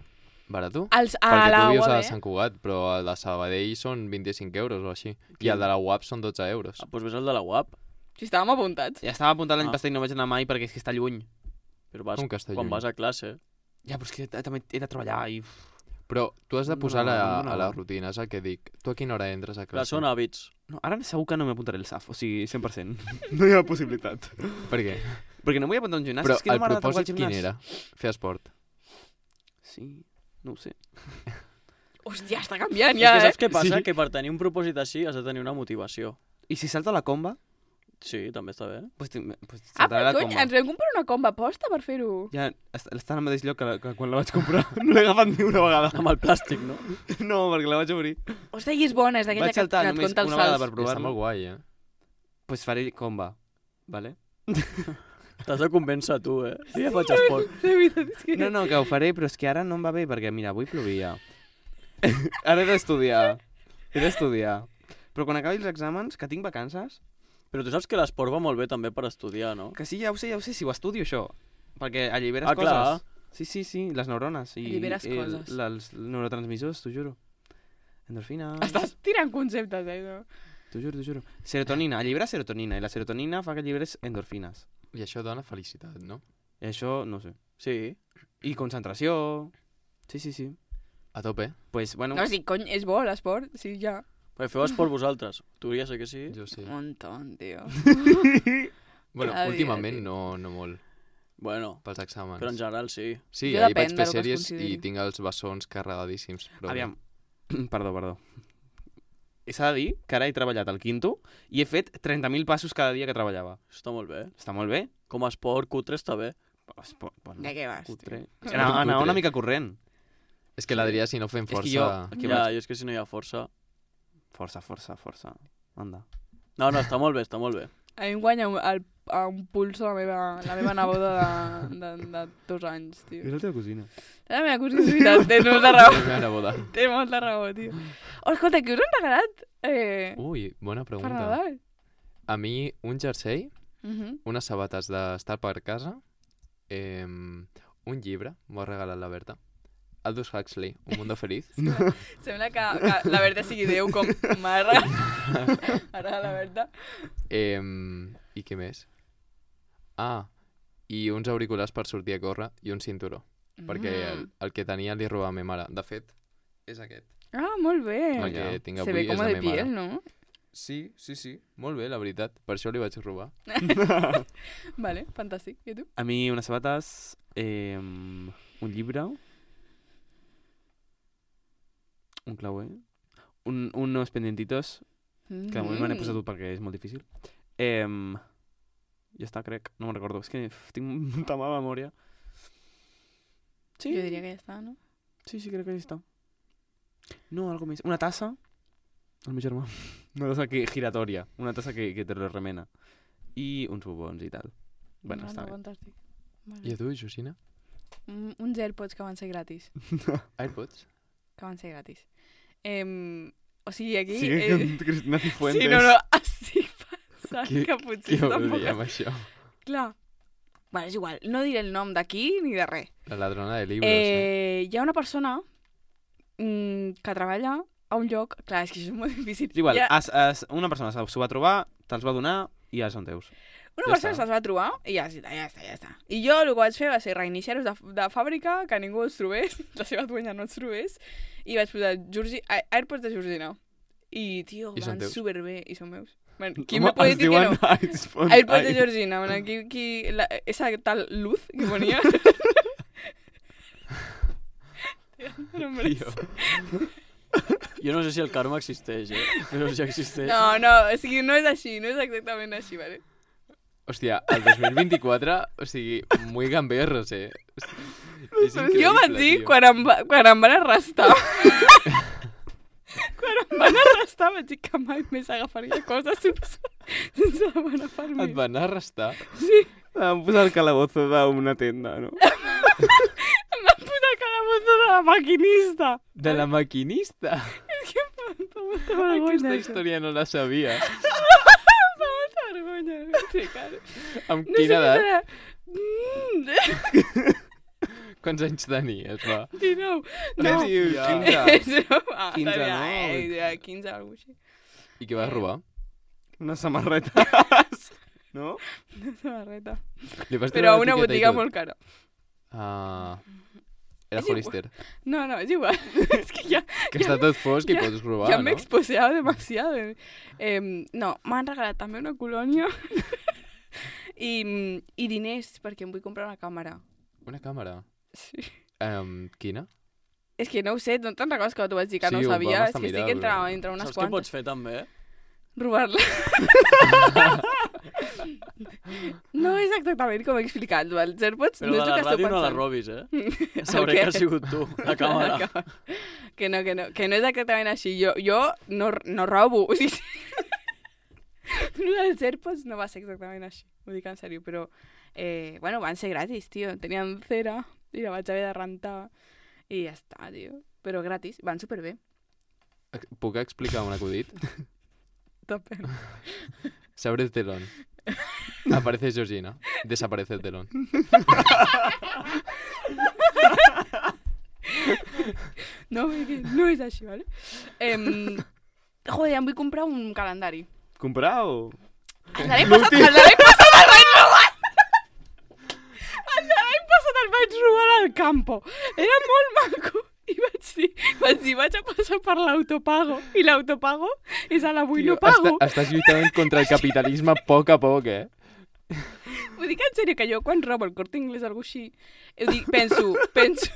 Barat? Els, a Perquè la tu vius U A a B. Sant Cugat, però el de Sabadell són vint-i-cinc euros o així. I Quin? el de la U A P són dotze euros. Ah, doncs ves al de la U A P. Si estàvem apuntats. Ja estava apuntat l'any Ah. passat i no vaig anar mai perquè és que està lluny. Però vas, Com que està quan lluny? vas a classe. Ja, però és que t- també he de treballar i... Però tu has de posar No, la, no. a la rutina, és el que dic. Tu a quina hora entres a Clar, classe? són hàbits. No, ara segur que no m'apuntaré el S A F, o sigui, cent per cent. No hi ha possibilitat. Per què? Perquè no m'hi apuntar a un gimnàs, Però és que no el m'agrada tant el propòsit quin gimnàs. era? Fer esport. Sí, no ho sé. Hòstia, està canviant És ja, que eh? saps què passa? Sí. Que per tenir un propòsit així has de tenir una motivació. I si salto la comba? Sí, també està bé. Pues, tinc- pues Ah, saltaré però la cony, comba. ens vam comprar una comba posta per fer-ho. Ja est- està al mateix lloc que, la, que quan la vaig comprar. No l'he agafat ni una vegada. Amb el plàstic, no? No, perquè la vaig obrir. Hòstia, i és bona, és d'aquella Vaig que, saltar que et només conta els una vegada salts. per Està provar-lo. molt guai, eh? Pues faré comba, vale? T'has de convèncer tu, eh? Jo ja faig esport. De veritat, és que... No, no, que ho faré, però és que ara no em va bé, perquè mira, avui plovia. Ara he d'estudiar. He d'estudiar. Però quan acabi els exàmens, que tinc vacances, Però tu saps que l'esport va molt bé també per estudiar, no? que sí, ja ho sé, ja ho sé, si ho estudio això. Perquè alliberes Ah, coses. clar. Sí, sí, sí, les neurones. I, Alliberes i coses. El, els neurotransmissors, t'ho juro. Endorfina. Estàs tirant conceptes, eh? No? T'ho juro, t'ho juro. Serotonina, allibera serotonina, i la serotonina fa que alliberes endorfines. I això dona felicitat, no? I això, no sé. Sí. I concentració. Sí, sí, sí. A tope. Pues, bueno, No, sí, cony, és bo l'esport, sí, ja. Perquè feu esport vosaltres. Tu ja sé que sí. Jo sí. Un montón, tio. Bueno, Cada dia, últimament tio. no, no molt, Bueno, pels exàmens. però en general sí. Sí, Jo ahir depèn vaig de fer lo que es sèries consideri. i tinc els bessons carregadíssims. Però... aviam. Perdó, perdó. S'ha de dir que ara he treballat al quinto i he fet trenta mil passos cada dia que treballava. Està molt bé. Està molt bé. Com a esport cutre està bé. Es pot- Bueno, De què vas, cutre. tio? Anar, anar Cutre. una mica corrent. És que l'Adrià, si no fem És que força... jo- Aquí ja, vaig. jo és que si no hi ha força... Força, força, força. Anda. No, no, està molt bé, està molt bé. A mi em guanya un, el, a un puls la meva, la meva neboda de, de, de dos anys, tio. És la teva cosina. La meva cosina, és veritat, tens molta raó. És una boda. Té molta raó, tio. Oh, escolta, què us han regalat eh, Ui, bona per pregunta. Nadal? A mi, un jersei, Uh -huh. unes sabates d'estar per casa, eh, un llibre, m'ho ha regalat la Berta. Aldous Huxley, Un mundo feliz. Sembla que, que la Berta sigui Déu, com m'ha regalat ara la Berta. Eh, I què més? Ah, i uns auriculars per sortir a córrer i un cinturó. Perquè el, el que tenia li robava a ma mare. De fet, és aquest. Ah, molt bé. El que tinc Se avui ve és com de de ma mare. piel, no? Sí, sí, sí. Molt bé, la veritat. Per això li vaig robar. Vale, fantàstic. I tu? A mi unes sabates, eh, un llibre, un clauer, un, unos pendientitos, que de moment me n'he posat tot perquè és molt difícil. Eh, ja està, crec. No me'n recordo. És que uf, tinc molta mala memòria. Sí, Jo diria que ja està, no? sí, sí, crec que ja està. No, algo més. Una tassa, el meu germà. Una tassa que, giratòria. Una tassa que, que te lo remena. I uns bubons i tal. Bueno, no, està no, bé. fantàstic. Molt I bé. a tu, Josina? Un- Uns AirPods que van ser gratis. AirPods? Que van ser gratis. Eh, o sigui, aquí... Sigue eh, con Cristina Cifuentes. sí, no, no, así passa. pensant Qui- que potser Qui ho tampoc... diem, això? Clar. Bueno, és igual, no diré el nom d'aquí ni de res. La ladrona de llibres, eh? Eh, hi ha una persona mm, que treballa a un lloc... Clar, és que això és molt difícil. És igual, Hi ha- has, has, una persona s'ho va trobar, te'ls va donar i ja són teus. Una Ja persona està. se'ls va trobar i ja està, ja està, ja està. I jo el que vaig fer va ser reiniciar-los de, de fàbrica, que ningú els trobés, la seva duenya no els trobés, i vaig posar Georgi... A- AirPods de Georgina. I, tio, I són van teus? superbé, i són meus. Bueno, qui Home, me puede es decir que diuen no? iPhone- AirPods de ai- Georgina, bueno, aquí, aquí la, esa tal luz que ponía. Tio, no me Tio. Jo no sé si el karma existeix, eh? Però si existeix... No, no, o sigui, no és així, no és exactament així, vale? Hòstia, el dos mil vint-i-quatre, o sigui, muy gamberros, eh? És Jo vaig dir, tio. quan em, va, quan em van arrestar... quan em van arrestar vaig dir que mai més agafaria coses sense, sense demanar Et permís. van arrestar? Vam posar el calabozo d'una tenda, no? Em van posar el calabozo de la maquinista. De la maquinista? És que em fa molta, molta Aquesta vergonya. això. història no la sabia. Em fa molta vergonya explicar-ho. Amb No quina sé edat? què serà. Mm, Quants anys tenies, va? dinou. No, No. sí, Ja. quinze. És broma. quinze, Tenia, no? Eh, ja, quinze, alguna cosa així. I què vas robar? Unes samarretes. No? Una samarreta. Li vas Però a treure una l'etiqueta i botiga tot? molt cara. Ah... Era És igual. Hollister. No, no, és igual. Es que ya, Que està tot fosc i ja- pots robar, ya me he no? exposeado demasiado. Eh, no, m'han regalat també una colònia i, i diners perquè em vull comprar una càmera. Una càmera. Sí. Um, quina? És que no ho sé, no te'n recordes que t'ho vaig dir que Sí, no ho ho vam sabia? És estar que estic mirant, entre, però- entre unes Saps què quantes. pots fer també? Robar-la. No és exactament com he explicat. Els AirPods Però no de és la el que esteu ràdio no la pensant. robis, eh? Sabré què? que has sigut tu, la càmera. Que no, que no, que no és exactament així. Jo, jo no, no robo. O sigui, el dels AirPods no va ser exactament així. Ho dic en sèrio, però... Eh, bueno, van ser gratis, tio. Tenien cera i la vaig haver de rentar. I ja està, tio. Però gratis. Van superbé. Ex- Puc explicar un acudit? Tope. Se abre el telón. Aparece Georgina. Desaparece el telón. No, perquè no és així, vale? Em, joder, em vull comprar un calendari. Comprar o...? El de l'any passat, el de l'any passat el vaig robar! El de l'any passat el vaig robar al campo. Era molt maco. I vaig dir, vaig dir, vaig a passar per l'autopago. I l'autopago és a l'avui no pago. Està, estàs lluitant contra el capitalisme a poc a poc, eh? Ho dic en sèrio, que jo quan robo el Corte Inglés o alguna cosa així, ho dic, penso, penso,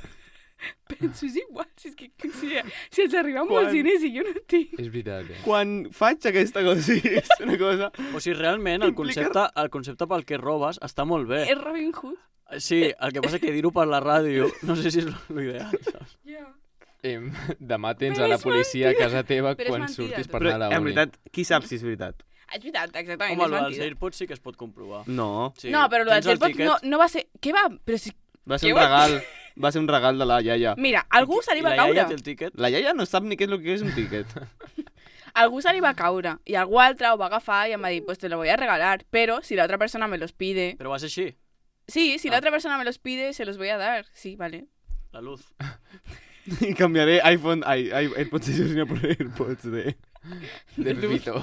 penso, és igual, si, és que, si, si els arriben Quan- molts diners i jo no tinc. És veritat, eh? Quan faig aquesta cosa, sí, és una cosa... O sigui, realment, el Implica- concepte, el concepte pel que robes està molt bé. És Robin Hood. Sí, el que passa que dir-ho per la ràdio no sé si és l'ideal, saps? Yeah. Em, demà tens Però a la és policia a mentida. casa teva Però és quan mentida, surtis tot. per Però, anar a la en uni. veritat, qui sap si és veritat? És veritat, exactament, Home, és el dels mentida. AirPods sí que es pot comprovar. No. Sí. No, però el dels Tens el AirPods tiquet? no, no va ser... Què va? Però si... Va ser Què un va- regal. Va ser un regal de la iaia. Mira, algú se li I va la iaia caure. té el tiquet? La iaia no sap ni què és el que és un tiquet. Algú se li va caure. I algú altre ho va agafar i em va dir, pues te lo voy a regalar. Pero si la otra persona me los pide... Però va ser així, Sí, si Ah. la otra persona me los pide, se los voy a dar. Sí, vale. la luz. I canviaré iPhone... Ai, ai, AirPods de Georgina por AirPods de... De Pepito.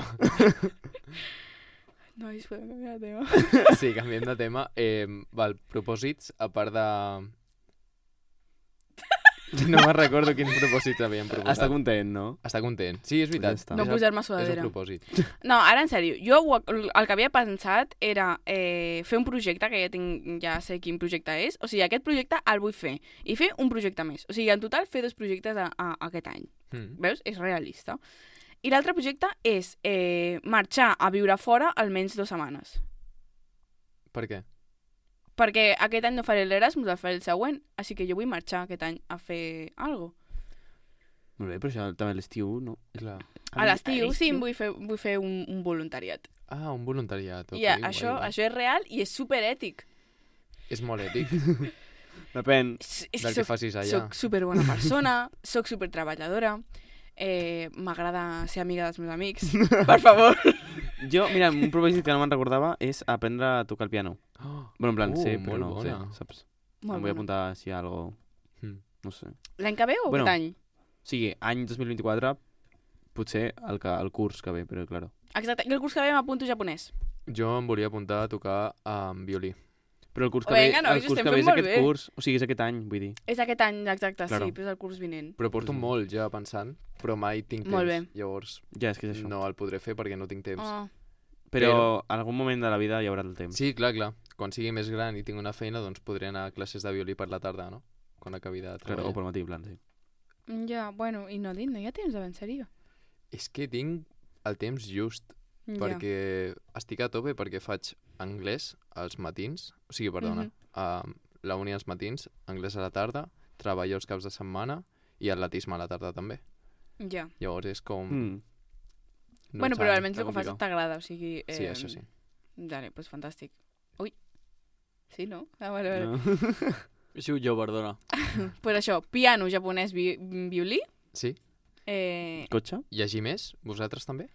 No, es podem canviar de tema. Sí, canviem de tema. Eh, val, propòsits, a part de... No me'n recordo quins propòsits havíem proposat. Està content, no? Està content. Sí, és veritat. Pues ja està. No És el- posar-me És sudadera. un propòsit. No, ara en sèrio, jo ho- el que havia pensat era eh, fer un projecte, que ja, tinc, ja sé quin projecte és, o sigui, aquest projecte el vull fer, i fer un projecte més. O sigui, en total fer dos projectes a, a, a aquest any. Mm. Veus? És realista. I l'altre projecte és eh, marxar a viure fora almenys dues setmanes. Per què? Perquè aquest any no faré l'Erasmus, el faré el següent, així que jo vull marxar aquest any a fer alguna cosa. Molt bé, però això també a l'estiu, no? Clar. A l'estiu, sí, em vull fer, vull fer un, un voluntariat. Ah, un voluntariat. I Okay, yeah, guai, això, guai. això és real i és superètic. És molt ètic, Depèn. És, és del que que soc, facis allà. soc superbona persona, soc supertreballadora, eh, m'agrada ser amiga dels meus amics, per favor. Jo, mira, un propòsit que no me'n recordava és aprendre a tocar el piano. Oh, Bueno, en plan, Uh, sé, però molt no bona. sé, saps? Molt em vull bona. apuntar si hi ha algo... mm. No sé. L'any que ve o Bueno. aquest any? O sigui, any dos mil vint-i-quatre, potser el, que, el curs que ve, però claro. Exacte, i el curs que ve m'apunto japonès. Jo em volia apuntar a tocar amb violí. Però el curs que Vinga, ve, nois, el curs estem que ve fent és molt aquest bé. curs, o sigui, és aquest any, vull dir. És aquest any, exacte, Claro. sí, però és el curs vinent. Però porto Mhm. molt ja pensant, però mai tinc Molt temps. bé. Llavors Ja, és que és això. no el podré fer perquè no tinc temps. Oh. Però en algun moment de la vida hi haurà el temps. Sí, clar, clar. Quan sigui més gran i tinc una feina, doncs podré anar a classes de violí per la tarda, no? Quan acabi de Claro, treballar. o pel matí, en plan, sí. Ja, bueno, i no, no hi ha temps de ben sèrio. És que tinc el temps just, Ja. perquè estic a tope perquè faig anglès als matins, o sigui, perdona, Mhm. a la uni als matins, anglès a la tarda, treballo els caps de setmana i atletisme a la tarda també. Ja. Llavors és com... Mm. No bueno, però tant. almenys el està que fas complicat. t'agrada, o sigui... Sí, això sí. Vale, doncs pues fantàstic. Ui. Sí, no? Ah, vale, vale. No. He sigut jo, perdona. Pues això, piano, japonès, vi violí. Sí? Eh, Cotxe? Llegir més? Vosaltres també?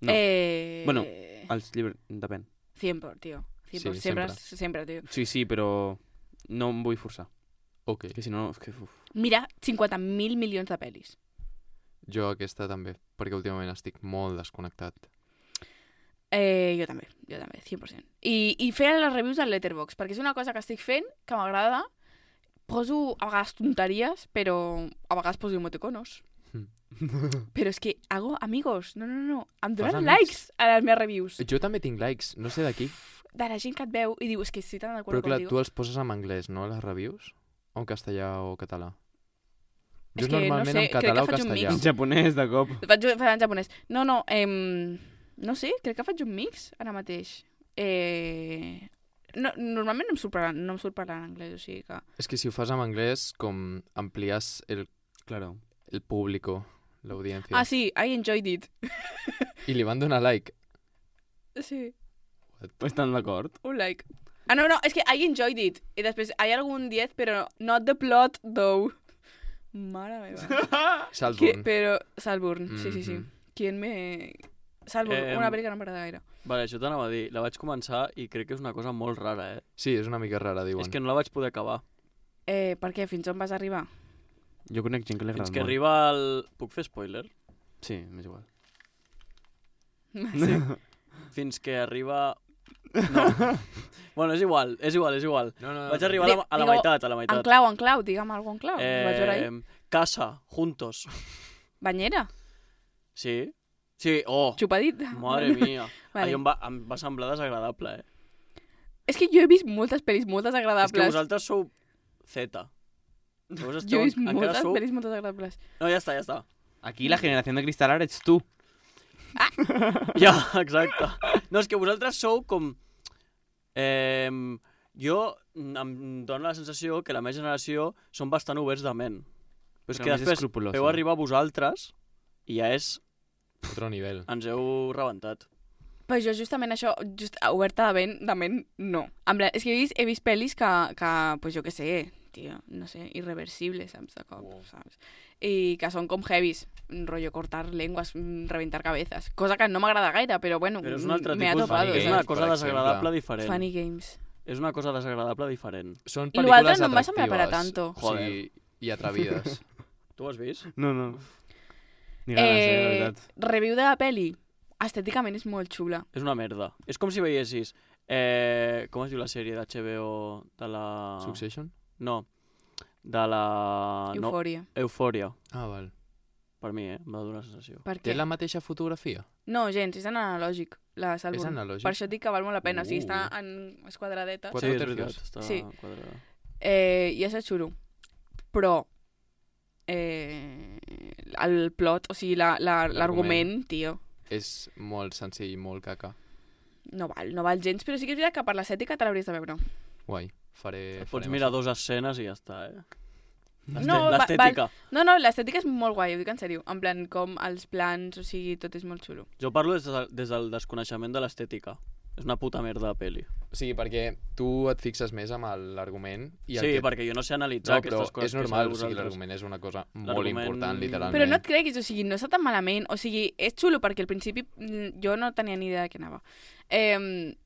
No. eh, Bueno, Els llibres, depèn. cent por, tio. cent por. Sí, sempre, sempre. sempre, tio. Sí, sí, però no em vull forçar. Ok. Que si no, és que... Uf. Mira, cinquanta mil milions de pel·lis. Jo aquesta també, perquè últimament estic molt desconnectat. Eh, jo també, jo també, cent per cent. I, i fer les reviews al Letterboxd, perquè és una cosa que estic fent, que m'agrada. Poso a vegades tonteries, però a vegades poso emoticonos. Mm. Però és que hago amigos. No, no, no. Em Fas donen amics? likes a les meves reviews. Jo també tinc likes, no sé d'aquí, De la gent que et veu i diu, és que estic tan d'acord però clar, contigo. tu els poses en anglès, no, les reviews? O en castellà o català? És Jo que no normalment sé, en crec català que o faig un castellà. mix. En japonès, de cop. Faig, faig en japonès. No, no, em... no sé, crec que faig un mix ara mateix. Eh... No, normalment no em surt parlar, no em surt parlar en anglès, o sigui que... És que si ho fas en anglès, com amplies el, Claro. el público, l'audiència. Ah, sí, I enjoyed it. I li van donar like. Sí, Estan d'acord? un like. Ah, no, no, és que I enjoyed it. I després, hi ha algun diez, però not the plot, though. Mare meva. Que, Saltburn. però... Salburn, sí, sí, sí. Mhm. ¿Quién me...? Salburn, Em, una pel·li que no m'agrada gaire. Vale, això t'anava a dir. La vaig començar i crec que és una cosa molt rara, eh? Sí, és una mica rara, diuen. És que no la vaig poder acabar. Eh, per què? Fins on vas arribar? Jo conec gent que li agrada Fins que molt. arriba el... Puc fer spoiler? Sí, m'és igual. Sí. Fins que arriba... No. Bueno, és igual, és igual, és igual. No, no, no. Vaig arribar a la, a la Digue- meitat, a la En meitat. clau, en clau, digue'm alguna en clau. Eh... Vaig veure ahir. casa, juntos. Banyera? Sí? Sí, oh, Xupadit? madre mia. Vale. Ai, em, va, em va semblar desagradable, eh? És que jo he vist moltes pel·lis molt És que desagradables. vosaltres sou Z. Vos Jo esteu, he vist encara moltes sou... pel·lis molt desagradables. No, ja està, ja està. Aquí la generació de cristal ara ets tu. Ja, exacte. No, és que vosaltres sou com... Eh, jo em dóna la sensació que la meva generació són bastant oberts de ment. Però és Però que més després escrupulosa. heu arribar vosaltres i ja és... Otro nivell. Ens heu rebentat. Però jo justament això, just oberta de ment, de ment no. En plan, és que he vist, he vist pel·lis que, que, pues jo què sé, tio, no sé, irreversibles, saps, de cop, Wow. saps? I que són com heavies, rollo cortar lenguas, mm, reventar cabezas. Cosa que no m'agrada gaire, però bueno, Però és un altre me ha tipus... topado, Funny És Games, una saps? cosa per desagradable exemple. diferent. Funny Games. És una cosa desagradable diferent. Són I l'altre pel·lícules no em va semblar per a atractives. tanto. O sigui, i atrevides. Tu ho has vist? No, no. Ni ganes, eh, la Eh, veritat. review de la peli, estèticament és molt xula. És una merda. És com si veiessis... Eh, com es diu la sèrie d'H B O de la... Succession? No. De la... No, Eufòria. Eufòria. Ah, val. Per mi, eh? Em va donar la sensació. Per Té què? la mateixa fotografia? No, gens, és en analògic, la Salburn. És analògic? Per això dic que val molt la pena. O sigui, Uh. està en esquadradeta. Quatre Sí, és tercios. veritat. Està Sí. quadrada. Eh, I això és xulo. Però eh, el plot, o sigui, la- la- l'argument, tio, És molt senzill, molt caca. no val, no val gens, però sí que és veritat que per l'estètica te l'hauries de veure. Guai. Faré... Et pots farem mirar això. dos escenes i ja està, eh? L'este- No, va- L'estètica. No, no, l'estètica és molt guai, ho dic en sèrio. En plan, com els plans, o sigui, tot és molt xulo. Jo parlo des, de, des del desconeixement de l'estètica. És una puta merda de pel·li. O sigui, perquè tu et fixes més amb l'argument... i el Sí, que... perquè jo no sé analitzar No, però aquestes coses. és normal, o que sigui, sabeu l'argument és una cosa molt L'argument- important, literalment. Però no et creguis, o sigui, no està tan malament. O sigui, és xulo perquè al principi mm, jo no tenia ni idea de què anava. Eh,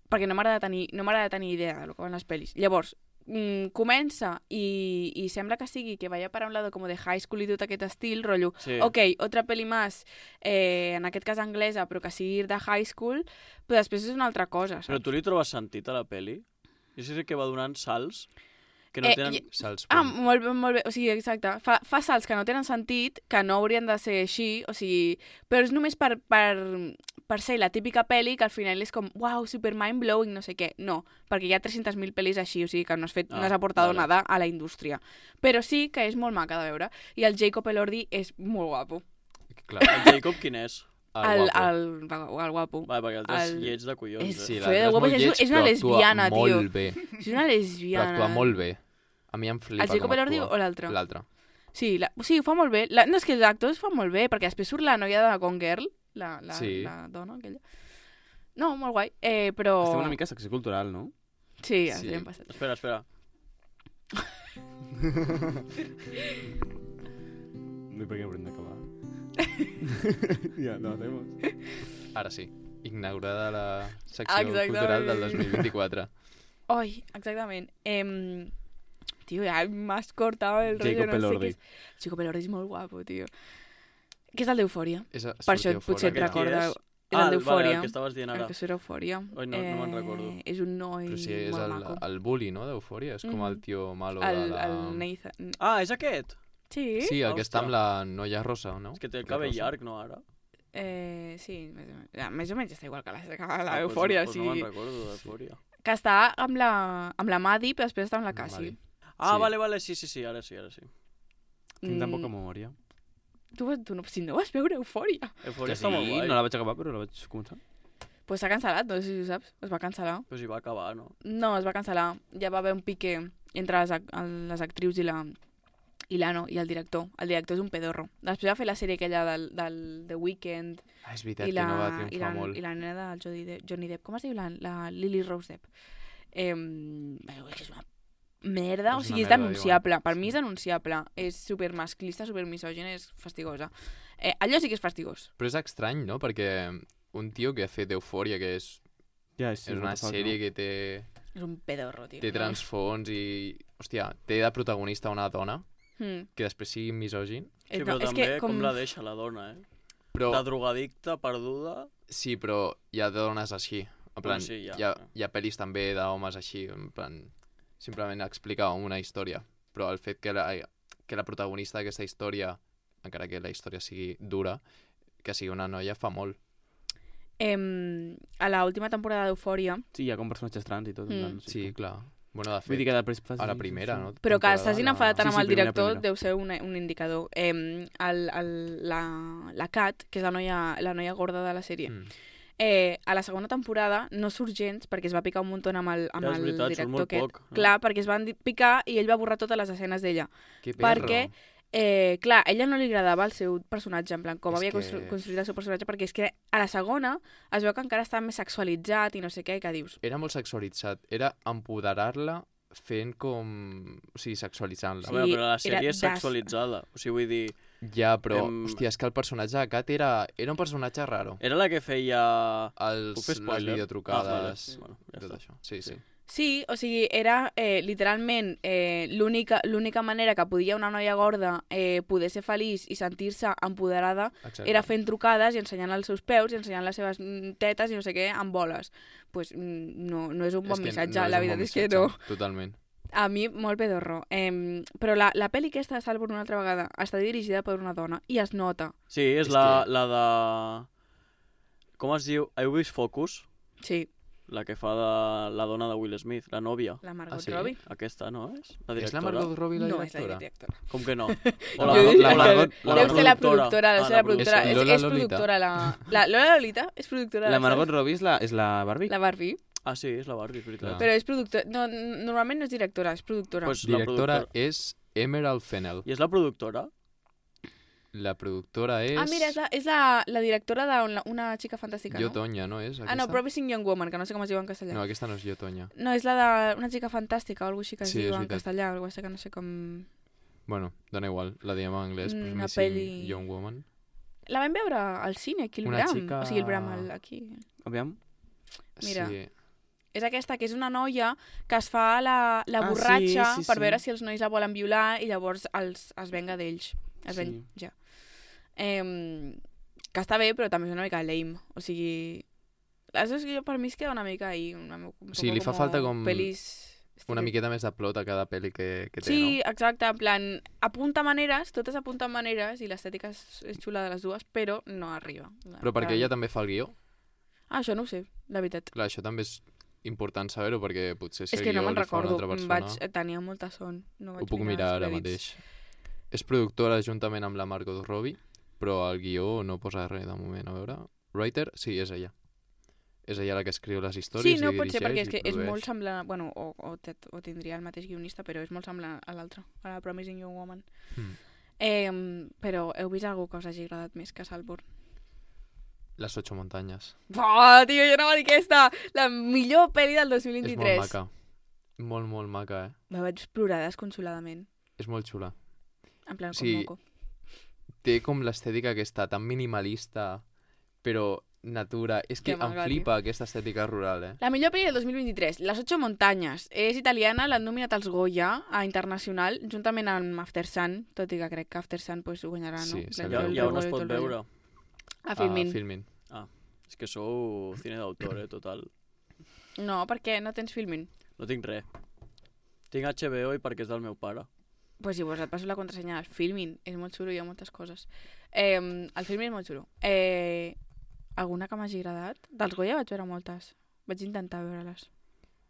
perquè no m'agrada tenir, no m'agrada tenir idea del que van les pel·lis. Llavors, mm, comença i, i sembla que sigui que vaya para un lado como de high school i tot aquest estil, rotllo, Sí. ok, otra peli más, eh, en aquest cas anglesa, però que sigui de high school, però després és una altra cosa, saps? Però tu li trobes sentit a la pel·li? Jo sé que va donant salts que no Eh, tenen... i- Salts Ah, punt. molt bé, molt bé. O sigui, exacte. Fa, fa salts que no tenen sentit, que no haurien de ser així, o sigui... Però és només per, per, per ser la típica pel·li que al final és com, wow, super mind-blowing, no sé què. No, perquè hi ha tres-centes mil pel·lis així, o sigui que no has, fet, Ah, no has aportat vale. nada a la indústria. Però sí que és molt maca de veure. I el Jacob Elordi és molt guapo. Clar, El Jacob quin és? el guapo. el, el, el guapo. Va, perquè el és El- lleig de collons. és- eh? Sí, Fue de l'altre és guapo, molt és- lleig, és una però actua lesbiana, tio. molt bé. És una Però lesbiana. actua molt bé. A mi em flipa El Jacob com Elordi actua. o l'altre? L'altre. Sí, la, sí, ho fa molt bé. La, no, és que els actors fan molt bé, perquè després surt la noia de Gone Girl, la, la, Sí. la dona aquella. No, molt guai, eh, però... Estem una mica a secció cultural, no? Sí, Sí. sí. hem passat. Espera, espera. No sé per què haurem d'acabar. ja, no, hacemos. Ara sí. Inaugurada la secció Exactament. cultural del dos mil vint-i-quatre. Ai, exactament. Em... Tio, ja m'has cortat el rotllo, Jacob no sé Elordi. què és. Jacob Elordi és molt guapo, tio. Que és el d'Eufòria. És a- Per això sortia potser et fora. Aquest qui recorda... és? És Ah, el vale, d'Eufòria. el que estaves dient El ara. que surt a Eufòria. Oi, no- no me'n recordo. És un noi Però sí, és molt el, maco. el bully, no, d'Eufòria? És com el Mhm. tio malo El, de la... el Nathan. Ah, és aquest? Sí? Sí, el que està Hòstia. amb la noia rosa, no? És que té el La cabell rosa. llarg, no, ara? Eh, sí, més o menys. Ja, més o menys està igual que la, que la Ah, Eufòria, pues, sí. pues no me'n recordo d'Eufòria. Que està amb la, amb la Maddie, però després està amb la Amb la Cassie. Maddie. Ah, Sí. vale, vale, sí, sí, sí, ara sí, ara sí. Tinc tan Mm, poca memòria. Tu, tu no, si no vas veure Eufòria. Eufòria Que està molt guai. no la vaig acabar, però la vaig començar. Pues s'ha cancel·lat, no sé si ho saps. Es va cancel·lar. Però si va acabar, no? No, es va cancel·lar. Ja va haver un pique entre les, ac el- les actrius i la i l'Ano, i el director. El director és un pedorro. Després va fer la sèrie aquella del, del The Weeknd Ah, és veritat i la, que no va i, triomfar la, molt. i la nena del Johnny Depp, Johnny Depp. Com es diu la, la Lily Rose Depp? Eh, és que és una merda, És o una sigui, és merda, denunciable. diuen. Per mi Sí. és denunciable. És super masclista, super misògina, és fastigosa. Eh, allò sí que és fastigós. Però és estrany, no? Perquè un tio que ha fet Eufòria, que és, Ja, és, és una sèrie que té, És un pedorro, tio. té transfons i... Hòstia, té de protagonista una dona Mm. que després sigui misògin. Sí, Eh, però no, és també que com... com la deixa la dona, eh? Però, La drogadicta, perduda... sí, però hi ha dones així. En plan, Bueno, sí, hi ha. hi, ha, hi ha pel·lis també d'homes així, en plan, simplement explicar una història. Però el fet que la, que la protagonista d'aquesta història, encara que la història sigui dura, que sigui una noia fa molt. Em, a la última temporada d'Eufòria, Sí, hi ha com personatges trans i tot. en Mm. plan, Sí, clar. Bueno, de Vull fet, dir que després fas... a la primera, no? però que Temporada, s'hagin la- enfadat tant Sí, amb sí, el primera, director primera. deu ser un, un indicador. Em, el, el, la, la Kat, que és la noia, la noia gorda de la sèrie, Mm. eh, a la segona temporada no surt gens perquè es va picar un munt amb el, amb Ja, és el veritat, surt director molt aquest. poc, no? Clar, perquè es van di- picar i ell va borrar totes les escenes d'ella. Que perro. Perquè, eh, clar, a ella no li agradava el seu personatge, en plan, com És havia que- constru construït el seu personatge, perquè és que a la segona es veu que encara estava més sexualitzat i no sé què, que dius, Era molt sexualitzat. Era empoderar-la fent com... O sigui, sexualitzant-la. A veure, però la Sí, era sèrie és das- sexualitzada. O sigui, vull dir... Ja, però, Em- hòstia, és que el personatge de Kat era, era un personatge raro. Era la que feia... Els, Puc fer les spoiler? videotrucades, Ah, vale. Bueno, ja tot està. això. Sí, sí. Sí. sí, o sigui, era eh, literalment eh, l'única l'única manera que podia una noia gorda eh, poder ser feliç i sentir-se empoderada Exacte. era fent trucades i ensenyant els seus peus i ensenyant les seves mm, tetes i no sé què amb boles. Pues, mm, no, no és un bon És que missatge, no la un veritat bon és que missatge, no. Totalment. A mi, molt pedorro. Eh, però la, la pel·li aquesta de Salvo una altra vegada està dirigida per una dona i es nota. Sí, és, És la, que- la de... Com es diu? Heu vist Focus? Sí, La que fa de la dona de Will Smith, la nòvia. la Margot Ah, sí? Robbie. Aquesta, no és? La És directora? la Margot Robbie la No, és la directora? directora. Com que no? O La la, Margot- o la Margot- o Deu ser la productora. productora, deu Ah, ser la productora. És És, Lola és Lolita. productora la... la... Lola Lolita és productora de La la Margot Robbie és la, és la Barbie? La Barbie. Ah, sí, és la Barbie, és veritat. Clar. Però és productora... No, normalment no és directora, és productora. Pues la Directora productora. és Emerald Fennell. I és la productora? La productora és... Ah, mira, és la, és la, la directora d'una una xica fantàstica, Jo no? Tonya, no és aquesta? Ah, no, Promising Young Woman, que no sé com es diu en castellà. No, aquesta no és Jo Tonya. No, és la d'una xica fantàstica o alguna així que es Sí, és diu en veritat. castellà, o alguna cosa que no sé com... Bueno, dona igual, la diem en anglès, Una Promising peli- Young Woman. La vam veure al cine, aquí al Una Bram. xica- O sigui, el Bram, el, aquí. Aviam. Mira. Sí, És aquesta, que és una noia que es fa la, la Ah, borratxa sí, sí, per sí. veure si els nois la volen violar i llavors els, es venga d'ells. Es Sí. ven, ja. Eh, que està bé, però també és una mica lame. O sigui... Això és que jo, per mi es queda una mica ahí. Una, un Sí, li fa como falta com Pelis... una miqueta més de plot a cada pel·li que, que té, Sí, no? exacte, en plan, apunta maneres, totes apunten maneres i l'estètica és, és xula de les dues, però no arriba. Però perquè ella també fa el guió. Ah, això no ho sé, la veritat. Clar, això també és important saber-ho, perquè potser si És el que no guió me'n li fa una recordo, altra em persona... vaig, tenia molta son. No Ho vaig puc mirar els ara crèdits. mateix. És productora juntament amb la Margot Robbie, però el guió no posa res de moment. A veure... Writer? Sí, és ella. És ella la que escriu les històries Sí, no i pot ser, dirigeix perquè és i que és produeix. molt semblant... Bueno, o, o, te, o tindria el mateix guionista, però és molt semblant a l'altre, a la Promising Young Woman. Mm. Eh, però heu vist algú que us hagi agradat més que Saltburn? Les ocho muntanyes. Oh, tio, jo no va dir aquesta! La millor pel·li del dos mil És vint-i-tres. molt maca. Molt, molt maca, eh? Me vaig plorar desconsoladament. És molt xula. En plan, com Sí. moco. Té com l'estètica aquesta tan minimalista, però natura. És que Que em maca, flipa aquesta estètica rural, eh? La millor pel·li del dos mil vint-i-tres, Les ocho montañas. És italiana, l'han nominat als Goya a internacional, juntament amb After Sun, tot i que crec que After Sun pues, ho guanyarà, no? Sí, En sí, plan, Ja, tot el ja on rotllo es i tot pot el rotllo. veure? A Filmin. Ah, Filmin. És que sou cine d'autor, eh, total. No, perquè no tens Filmin. No tinc res. Tinc H B O i perquè és del meu pare. Pues llavors et passo la contrasenya al Filmin. És molt xulo, hi ha moltes coses. Eh, el Filmin és molt xulo. Eh, alguna que m'hagi agradat? Dels Goya vaig veure moltes. Vaig intentar veure-les.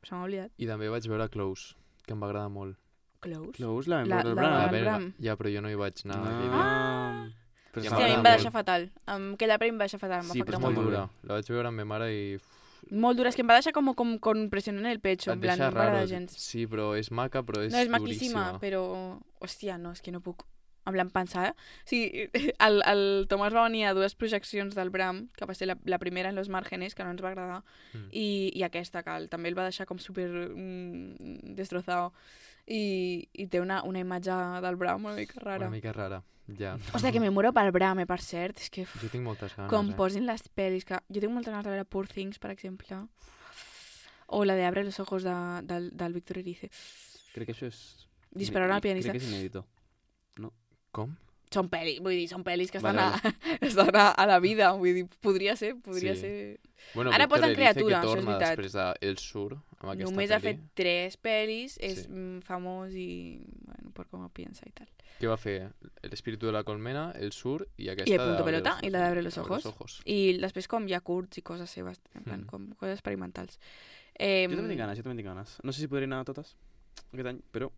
Se m'ha oblidat. I també vaig veure Close, que em va agradar molt. Close? Close la vam La- veure al la- Bram. Ah, A el veure, Bram. ja, però jo no hi vaig anar. No. aquell dia. Ah! Però Ja Hòstia, està a mi em m'agrada va molt. deixar fatal. Um, aquella pel·li em va deixar fatal, em va Sí, afectar però És molt. molt molt dura. La vaig veure amb ma mare i... Molt dura, és que em va deixar com, com, com pressionant el pecho, en Et plan, deixa no m'agrada raro. gens. Sí, però és maca, però és No, és maquíssima, duríssima. però... Hòstia, no, és que no puc. En plan, pensar... O sigui, el, el Tomàs va venir a dues projeccions del Bram, que va ser la, la primera en Los Márgenes, que no ens va agradar, Mm. i, i aquesta, que el, també el va deixar com super mm, destrozado. I, i té una, una imatge del Bram una mica rara. Una mica rara, ja. Hòstia, que me muero pel Bram, eh, per cert. És que... uf, Jo tinc moltes ganes, com eh? posin les pel·lis, que jo tinc moltes ganes de veure Poor Things, per exemple. O la de Abre los ojos de, del, del Víctor Erice. Crec que això és... Disparar al pianista. Crec que és inèdito. Com? Són pel·lis, vull dir, són pel·lis que estan, Vale, a, estan a, a la vida, vull dir, podria ser, podria Sí. ser... Bueno, Ara Víctor posen Erice, Criatura, que això és torna veritat. després de El Sur, amb aquesta Només ha pel·li. fet tres pel·lis, és Sí. mm, famós i, bueno, per com ho piensa i tal. Què va fer? El espíritu de la colmena, El Sur i aquesta I el punto de Abre pelota, los i la de Abre ojos. los Abre ojos. ojos. I després com hi ha curts i coses seves, en plan, Mm. com coses experimentals. Eh, Jo també tinc ganes, jo també tinc ganes. No sé si podré anar a totes aquest any, però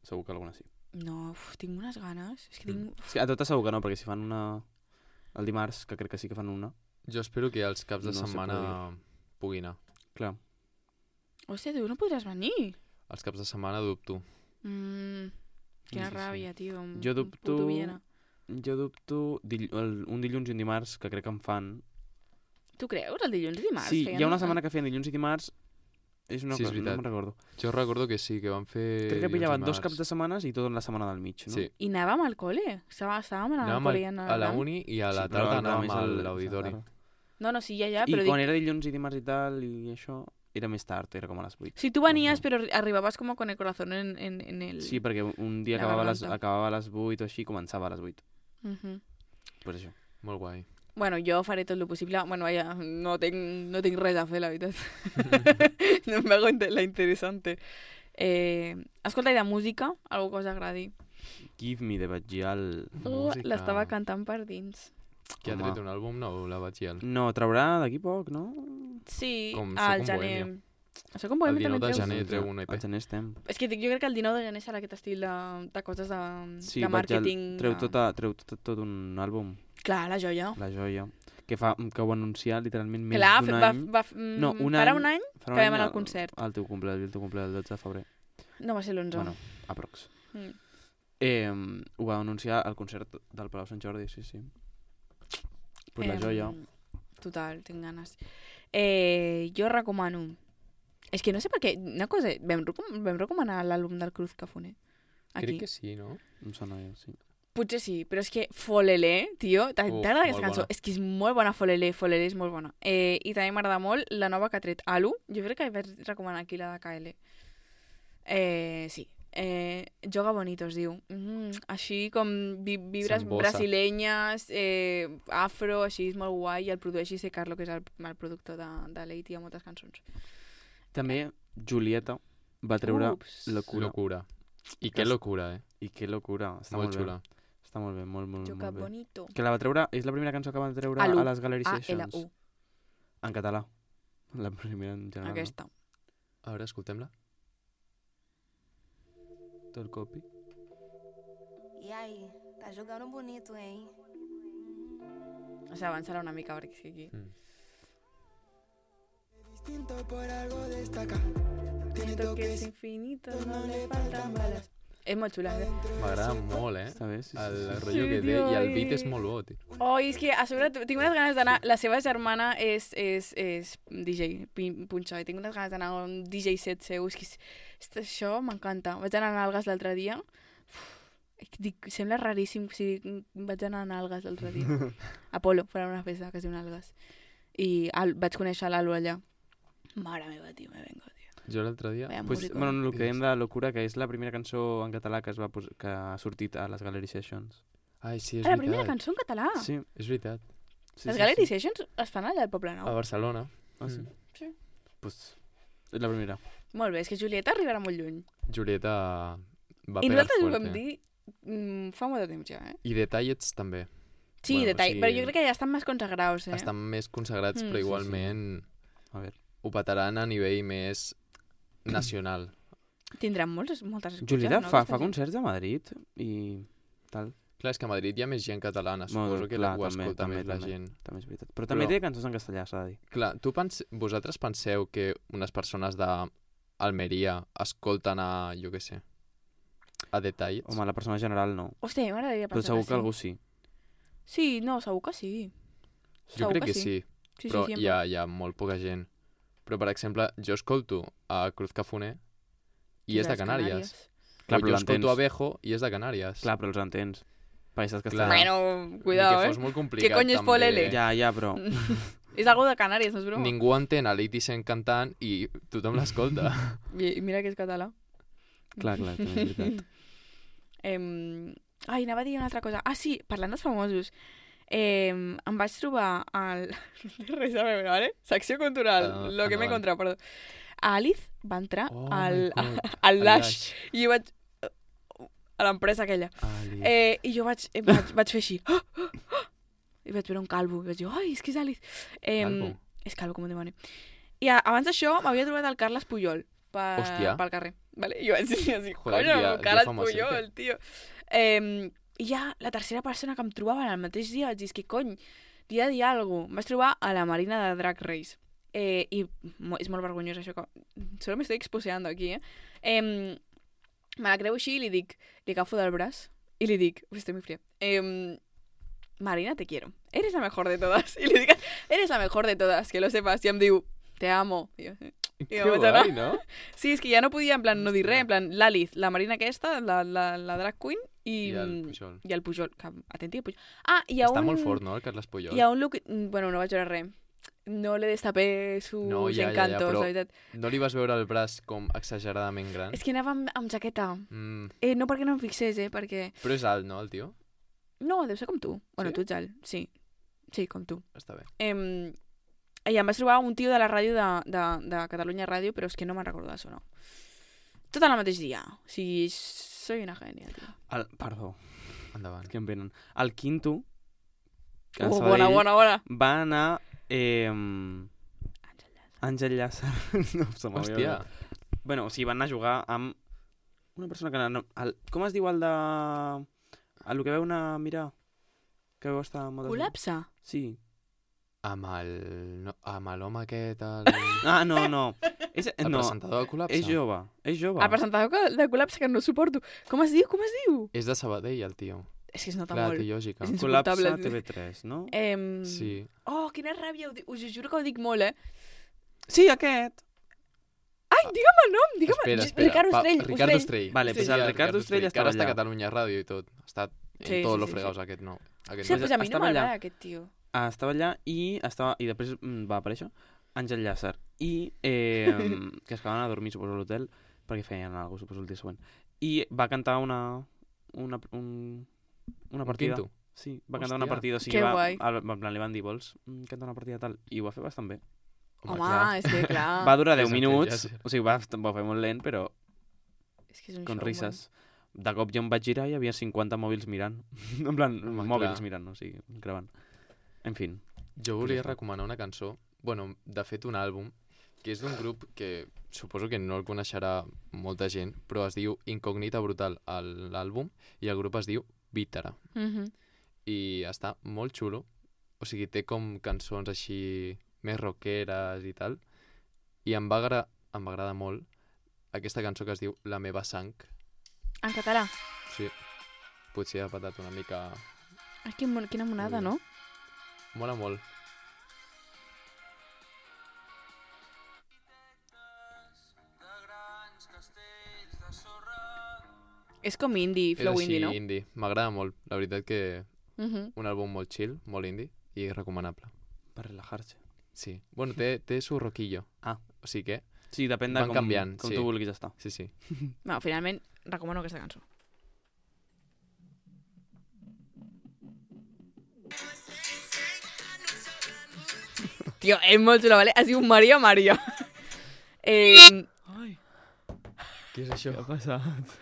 segur que alguna sí. No, uf, tinc unes ganes. És que Mm. tinc... Sí, a totes segur que no, perquè si fan una el dimarts, que crec que sí que fan una, Jo espero que els caps de No se setmana pugui anar. clar. Hòstia, tu no podràs venir. Els caps de setmana dubto. Mm, quina Sí, sí. ràbia, tio. un- Jo un dubto... puto Viena. Jo dubto dill el, un dilluns i un dimarts, que crec que em fan. Tu creus? El dilluns i dimarts? Sí, feien hi ha una un- setmana que feien dilluns i dimarts, és una Sí, és cosa, no veritat. me'n recordo. Jo recordo que sí, que van fer... Crec que dilluns i pillaven dos dimarts. caps de setmanes i tot en la setmana del mig, no? Sí. I anàvem al col·le. Estava- Estàvem anant al Anàvem col·le i al- anant a la al- uni i a la Sí, però tarda el Bram anàvem és a el- l'auditori. a la tarda. No, no, sí, ja, ja, I però quan dic... era dilluns i dimarts i tal, i això, era més tard, era com a les vuit. Si tu venies, No. però arribaves com con el corazón en, en, en el... Sí, perquè un dia La acabava a, les, garganta. acabava a les vuit o així, començava a les vuit. Mhm. Pues això. Molt guai. Bueno, jo faré tot el possible. Bueno, vaja, no tinc, no tinc res a fer, la veritat. no me hago inte- la interesante. Eh, escolta, i de música? Algú que us agradi? Give me the Batgial. Uh, Música. L'estava cantant per dins. Que ha Home. tret un àlbum nou, la Batgial. No, traurà d'aquí poc, no? Sí, Com al Soc un gener. bohemio. Soc un El bohemi dinou també de treus? gener treu un E P. Al gener estem. És que jo crec que el dinou de gener serà aquest estil de, de coses de, Sí, de Batgial màrqueting. treu, de- tota, treu tot, tot un àlbum, Clar, la joia. La Joia, que, fa, que ho va anunciar literalment més Clar, d'un va, any. va, mm, No, un farà any- un any Farà que un vam anar any al concert. Al teu cumple, el teu cumple el dotze de febrer. No va ser l'onze. Bueno, aprox. Mm. Eh, ho va anunciar al concert del Palau Sant Jordi, sí, sí. Pues la Em, joia. Total, tinc ganes. Eh, jo recomano... És que no sé per què... Una cosa, vam, recom vam recomanar l'àlbum del Cruz Cafoner. Aquí. Crec que sí, no? Em sona, eh, sí. Potser sí, però és que Folelé, tio, Uf, t'agrada aquesta molt cançó? bona. És que és molt bona Folelé, Folelé és molt bona. Eh, I també m'agrada molt la nova que ha tret Alu. Jo crec que vaig recomanar aquí la de K L. Eh, sí. Eh, Joga Bonito es diu. Mm, així com vi vibres Sambosa. brasilenyes, eh, afro, així és molt guai. I el produeix C. Carlo, que és el, el productor de, de l'E T a moltes cançons. També Julieta va treure Ups. Locura. Locura. I Que que és- locura, eh? I que locura. Està Molt molt, xula. bé. Està molt bé, molt, molt, Joga molt bé. Bonito. Que la va treure, és la primera cançó que va treure Alu. a les Gallery A L Sessions. U. En català. La primera en general. Aquesta. A veure, escoltem-la. No? Tot el copy. E aí, tá jogando bonito, hein? O sigui, avançarà una mica perquè sigui aquí. Mm. Distinto por algo destaca. Tiene Toques toques infinitos, no le faltan balas. És molt xula, eh? M'agrada molt, eh? Està bé, sí, sí. El sí. rotllo que té tio, i el i- beat és molt bo, tio. Oh, és que a sobre tinc unes ganes d'anar... La seva germana és, és, és D J, pin- punxa, i tinc unes ganes d'anar a un D J set seu. És que és, és, això m'encanta. Vaig anar a Nalgues l'altre dia. Uf, dic, sembla raríssim si dic, vaig anar a Nalgues l'altre dia. Apolo, farà una festa que es diu Nalgues. I al, vaig conèixer l'Alo allà. Mare meva, tio, me vengo, tio. Jo l'altre dia... Vaya Pues, músico. bueno, el que dèiem de Locura, que és la primera cançó en català que, es va pos que ha sortit a les Gallery Sessions. Ai, sí, és Ah, la veritat. primera cançó en català. Sí. És veritat. sí Les sí, Gallery sí. Sessions es fan allà al Poble A Nou. Barcelona. Ah, sí? Mm. Sí. Pues, és la primera. Molt bé, és que Julieta arribarà molt lluny. Julieta va I pegar nosaltres ho fuerte. vam dir mm, fa molt de temps ja, eh? I Detallets també. Sí, Bueno, detall, sí. però jo crec que ja estan més consagrats, eh? Estan més consagrats, Mm, però sí, sí. igualment A veure. ho petaran a nivell més nacional. Tindran moltes, moltes escutxes, Julieta no? fa, aquesta fa gent? concerts a Madrid i tal. Clar, és que a Madrid hi ha més gent catalana, Bueno, suposo que clar, ho també, escolta també, més la també. gent. També és veritat. Però també Però- té cançons en castellà, s'ha de dir. Clar, tu pens... vosaltres penseu que unes persones d'Almeria escolten a, jo què sé, a Detallets? Home, la persona general no. Hòstia, a mi m'agradaria Però pensar segur que que sí. algú sí. Sí, no, segur que sí. jo segur crec que que sí. sí, Sí, però sí, hi ha, hi ha molt poca gent. Però, per exemple, jo escolto a Cruz Cafoner i és de Canàries. Clar, o però jo escolto l'entens. a Bejo i és de Canàries. Clar, però els entens. Perquè saps Clar. castellà. Bueno, Ni cuidado, que eh? fos molt complicat, coño és també. polele? Ja, ja, però... És algo de Canàries, no és broma? Ningú entén a l'Eighty Cent cantant i tothom l'escolta. I, I mira que és català. clar, clar, també és veritat. Em... Ai, anava a dir una altra cosa. Ah, sí, parlant dels famosos. Eh, em vaig trobar al... No té res a veure, ¿vale? Secció cultural, Ah, lo que m'he endavant. encontrat, perdó. A Alice va entrar Oh al, my God. al El Lash Lash. i jo vaig... a l'empresa aquella. Ali. Eh, I jo vaig, eh, vaig, vaig fer així. Ah, ah, ah. I vaig veure un calvo. I vaig dir, ai, és que és Alice. Eh, Calvo? És calvo com un dimoni. I a, abans d'això m'havia trobat el Carles Puyol per, Hòstia. pel carrer. Vale? I jo vaig dir, així, Joder, coño, dia- dia Carles famosete. Puyol, tio. Eh, I ja la tercera persona que em trobava en el mateix dia vaig dir, és que cony, li he de dir alguna cosa. Em vaig trobar a la Marina de Drag Race. Eh, I mo- és molt vergonyós això que... Solo me estoy exposeando aquí, eh? eh me la creu així i li dic, li agafo del braç i li dic, ui, estoy muy fría. Eh, Marina, te quiero. Eres la mejor de todas. I li dic, eres la mejor de todas, que lo sepas. I em diu, te amo. I jo, Que jo vaig anar. guai, no? sí, és que ja no podia, en plan, no dir res, en plan, l'Alice, la Marina aquesta, la, la, la drag queen i, I el Pujol. i el Pujol. Que, atenti, el Pujol. Ah, hi ha Està un... molt fort, no, el Carles Puyol? Hi ha un look... Bueno, no vaig veure res. No le destapé sus No, ja, ja, ja, encantos, però- la veritat. No li vas veure el braç com exageradament gran? És que anava amb, amb jaqueta. Mm, Eh, no perquè no em fixés, eh, perquè... però és alt, no, el tio? No, deu ser com tu. Bueno, Sí? tu ets alt, sí. Sí, com tu. Està bé. Eh, I em vaig trobar un tio de la ràdio de, de, de Catalunya Ràdio, però és que no me'n recordo d'això, no. Tot en el mateix dia. O sigui, soy una gènia, tio. El, perdó, Endavant. que em venen. El Quinto, que a Oh, Sabadell, bona, bona, bona. va anar... Eh, Àngel Llàcer. no, se m'havia Hòstia, oblidat. Bueno, o sigui, van anar a jugar amb una persona que... No, el, com es diu el de... El que veu anar a mirar? Que veu estar... moltes- Col·lapse? Sí. Amb el... No, amb l'home aquest... El, Ah, no, no. És, el no, presentador del col·lapse. és jove, és jove. El presentador de col·lapse que no suporto. Com es diu? Com es diu? És de Sabadell, el tio. És que es nota Clar, molt. té lògica. És Col·lapse insuportable. a T V tres, no? Em... Sí. Oh, quina ràbia. Ho di- Us ho juro que ho dic molt, eh? Sí, aquest. Ai, digue'm el nom, digue'm... Espera, espera. Ricardo Pa- Ostrell. Ricardo Ostrell. Ostrell. Vale, pues el Ricardo Ostrell Que estava ara està a allà. Catalunya Ràdio i tot. Està en Sí, tots sí, los sí, fregados sí. aquest no. Aquest Sí, no. pues a mi no Estava allà. m'agrada aquest tio. Ah, estava allà i, estava, i després mm, va aparèixer Àngel Llàcer. I eh, que es quedaven a dormir, suposo, a l'hotel, perquè feien alguna cosa, suposo, el dia següent. I va cantar una... una, un, una Un partida. quinto. Sí, va cantar una Hòstia. partida. O sigui, Que va, guai. al, en plan, li van dir, vols mm, cantar una partida tal? I ho va fer bastant bé. Home, clar. és que clar... Va durar és deu Àngel minuts, Llàcer. o sigui, va, va fer molt lent, però És que és un con showman. risses. De cop jo em vaig girar i hi havia cinquanta mòbils mirant. en plan, Home, mòbils clar. mirant, o sigui, gravant. En fin. Jo volia Curiós. recomanar una cançó, bueno, de fet un àlbum, que és d'un grup que suposo que no el coneixerà molta gent, però es diu Incògnita Brutal a l'àlbum i el grup es diu Vítara. Mhm. I està molt xulo, o sigui, té com cançons així més rockeres i tal, i em va, agra em va agradar molt aquesta cançó que es diu La meva sang. En català. Sí, potser ha patat una mica... Ai, quin mon- quina monada, Molt no? Mola molt. És com indie, És flow així, indie, no? indie. M'agrada molt. La veritat que Mhm. un àlbum molt chill, molt indie i recomanable. Per relajar-se. Sí. Bueno, té, té su roquillo. Ah. O sigui que, Sí, depèn de Van com, canviant, com sí. tu vulguis estar. sí, sí. Bueno, finalment, recomano aquesta cançó. Tio, és molt xula, vale? Es diu Maria Maria. Eh, Ai, Què és això? què ha passat?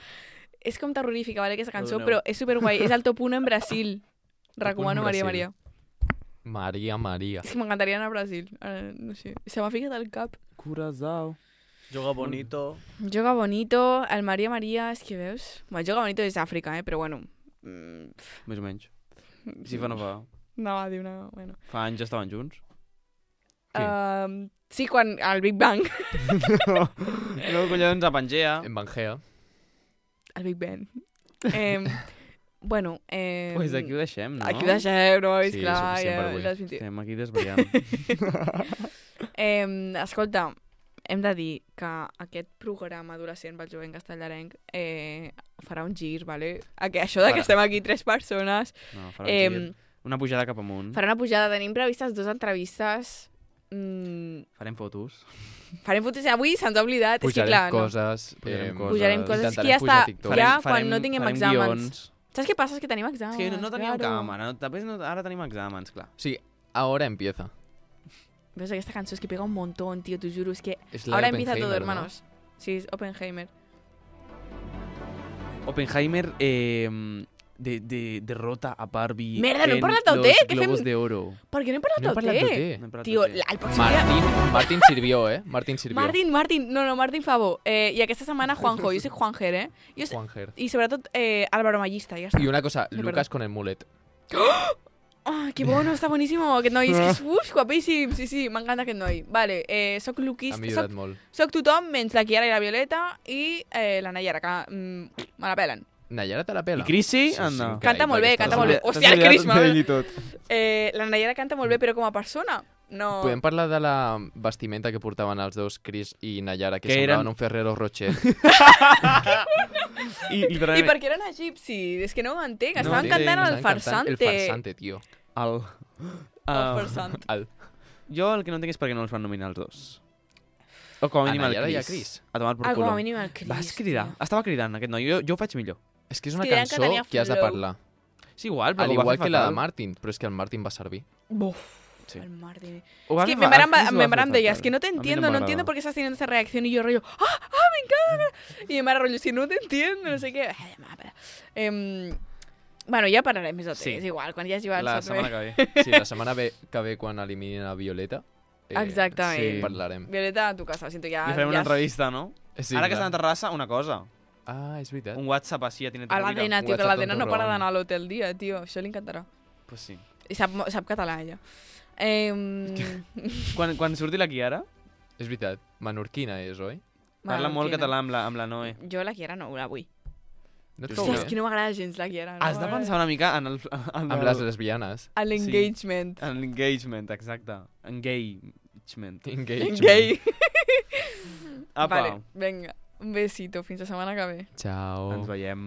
és com terrorífica, vale, aquesta cançó, Perdoneu. però és superguai. És el top un en Brasil. Recomano Maria Brasil. Maria. Maria, Maria. És que m'encantaria anar a Brasil. Ara, no sé. Se m'ha ficat al cap. Curazao. Joga bonito. Joga bonito, el Maria Maria, és que veus? Bueno, Joga bonito és Àfrica, eh? Però bueno. Mm, Més o menys. Si fa no fa. no va dir una... Bueno. Fa anys ja estaven junts. Qui? Um, sí, quan... Al Big Bang. no, no, collons, a Pangea. En Bangea. Al Big Bang. Eh, bueno... Eh, Pues aquí ho deixem, no? Aquí ho deixem, no? És Sí, clar, suficient per ja, avui. ja has vint- Estem aquí desvariant. Eh, escolta, hem de dir que aquest programa adolescent pel jovent castellarenc eh, farà un gir, vale? Aqu això de que Farà. estem aquí tres persones No, farà un eh, gir. Una pujada cap amunt. farà una pujada. Tenim previstes dues entrevistes. Mm, Farem fotos. farem fotos. Avui se'ns ha oblidat. és que, Pujarem clar, no. coses. Pujarem eh, coses. Pujarem coses. És que intentarem ja pujar està- a TikTok. ja quan no tinguem farem exàmens. guions. Saps què passa? És que tenim exàmens. És que no, no teníem claro. càmera. No, després no, ara tenim exàmens, clar. Sí, ahora empieza. Ves, aquesta cançó és que pega un montón, tío, t'ho juro. És que Es la de ahora empieza todo, Oppenheimer, ¿no? hermanos. Sí, es Oppenheimer. Oppenheimer eh, de, de, derrota a Barbie Merda, no hem en parlat del los té, què Globos fem? de Oro. Per què no hem parlat No he del parlat té? del té. No hem parlat Tio, del té. la- el pròxim dia... Martín, Martín sirvió, eh? Martín sirvió. Martín, Martín, no, no, Martín Favo. Eh, I aquesta setmana Juanjo, jo soc Juanjer, eh? Jo soc... Juanjer. I sobretot eh, Álvaro Mallista, ja està. Y una cosa, Me Lucas con el mulet. Ah, que bueno, està boníssimo aquest noi. És que és uf, guapíssim. Sí, sí, m'encanta aquest noi. Vale, eh, soc Ha luquista, millorat soc, molt. soc tothom menys la Kiara i la Violeta i eh, la Nayara, que mm, me la pelen. Nayara te la pela. I Chrissy, Sí, sí, anda. carai, Canta molt bé, perquè canta estàs- molt bé. T'has Hòstia, el oblidat Chris, m'ha- d'ell i tot. Eh, la Nayara canta molt bé, però com a persona, no... Podem parlar de la vestimenta que portaven els dos, Chris i Nayara, que, Que semblaven eren- un Ferrero Rocher. I, I literalment, per què eren egipcis? És que no ho entenc. No Estaven entenc, cantant el Estaven cantant farsante. El farsante, tio. el... El Uh, farsant. El... jo el que no entenc és per què no els van nominar els dos. O com a A mínim el Nayara i a Chris. Chris. A tomar por Ah, com a culo. mínim el Chris. Vas cridar. tio. Estava cridant aquest noi. Jo, jo ho faig millor. És que és una És que deien que cançó tenia que has de flow. parlar. Sí, igual, però Al ho va igual fer que la de fatal. Martin, però és que el Martin va servir. Buf, Sí. el Martín. Ho va Es que fer me fa- paran, el Chris ho va me fer paran de ella. fatal. Es que no te A mí entiendo, no, m'agradava. entiendo por qué estás teniendo esa reacción. Y yo rollo, ¡ah, ah, me encanta! Y me rollo, si no te entiendo, no sé qué. Ay, ma, para. Em, bueno, ja parlarem més de té, Sí. és igual, quan hi hagi el La servei. setmana que ve. Sí, la setmana ve, que ve quan eliminin a Violeta, eh, Exactament. sí. parlarem. Violeta, a tu casa, siento ja... Li farem ja una entrevista, no? Sí, Ara que clar. estan a Terrassa, una cosa. Ah, és veritat. Un WhatsApp així a Tiene A l'Adena, tio, que WhatsApp l'Adena no tonto para Ron. d'anar a l'hotel dia, tio. Això li encantarà. Pues sí. I sap, sap català, ella. Eh, Quan, quan surti la Kiara, És veritat, menorquina és, oi? parla molt català amb la, amb la Noe. Jo la Kiara no la vull. No et Hòstia, cau és bé? que no m'agrada gens la Kiara. No Has de pensar una mica en el... En Amb el, les lesbianes. A l'engagement. En l'engagement, exacte. Engagement. Engagement. Gay. Apa, Vale, vinga. Un besito. Fins la setmana que ve. Ciao. ens veiem.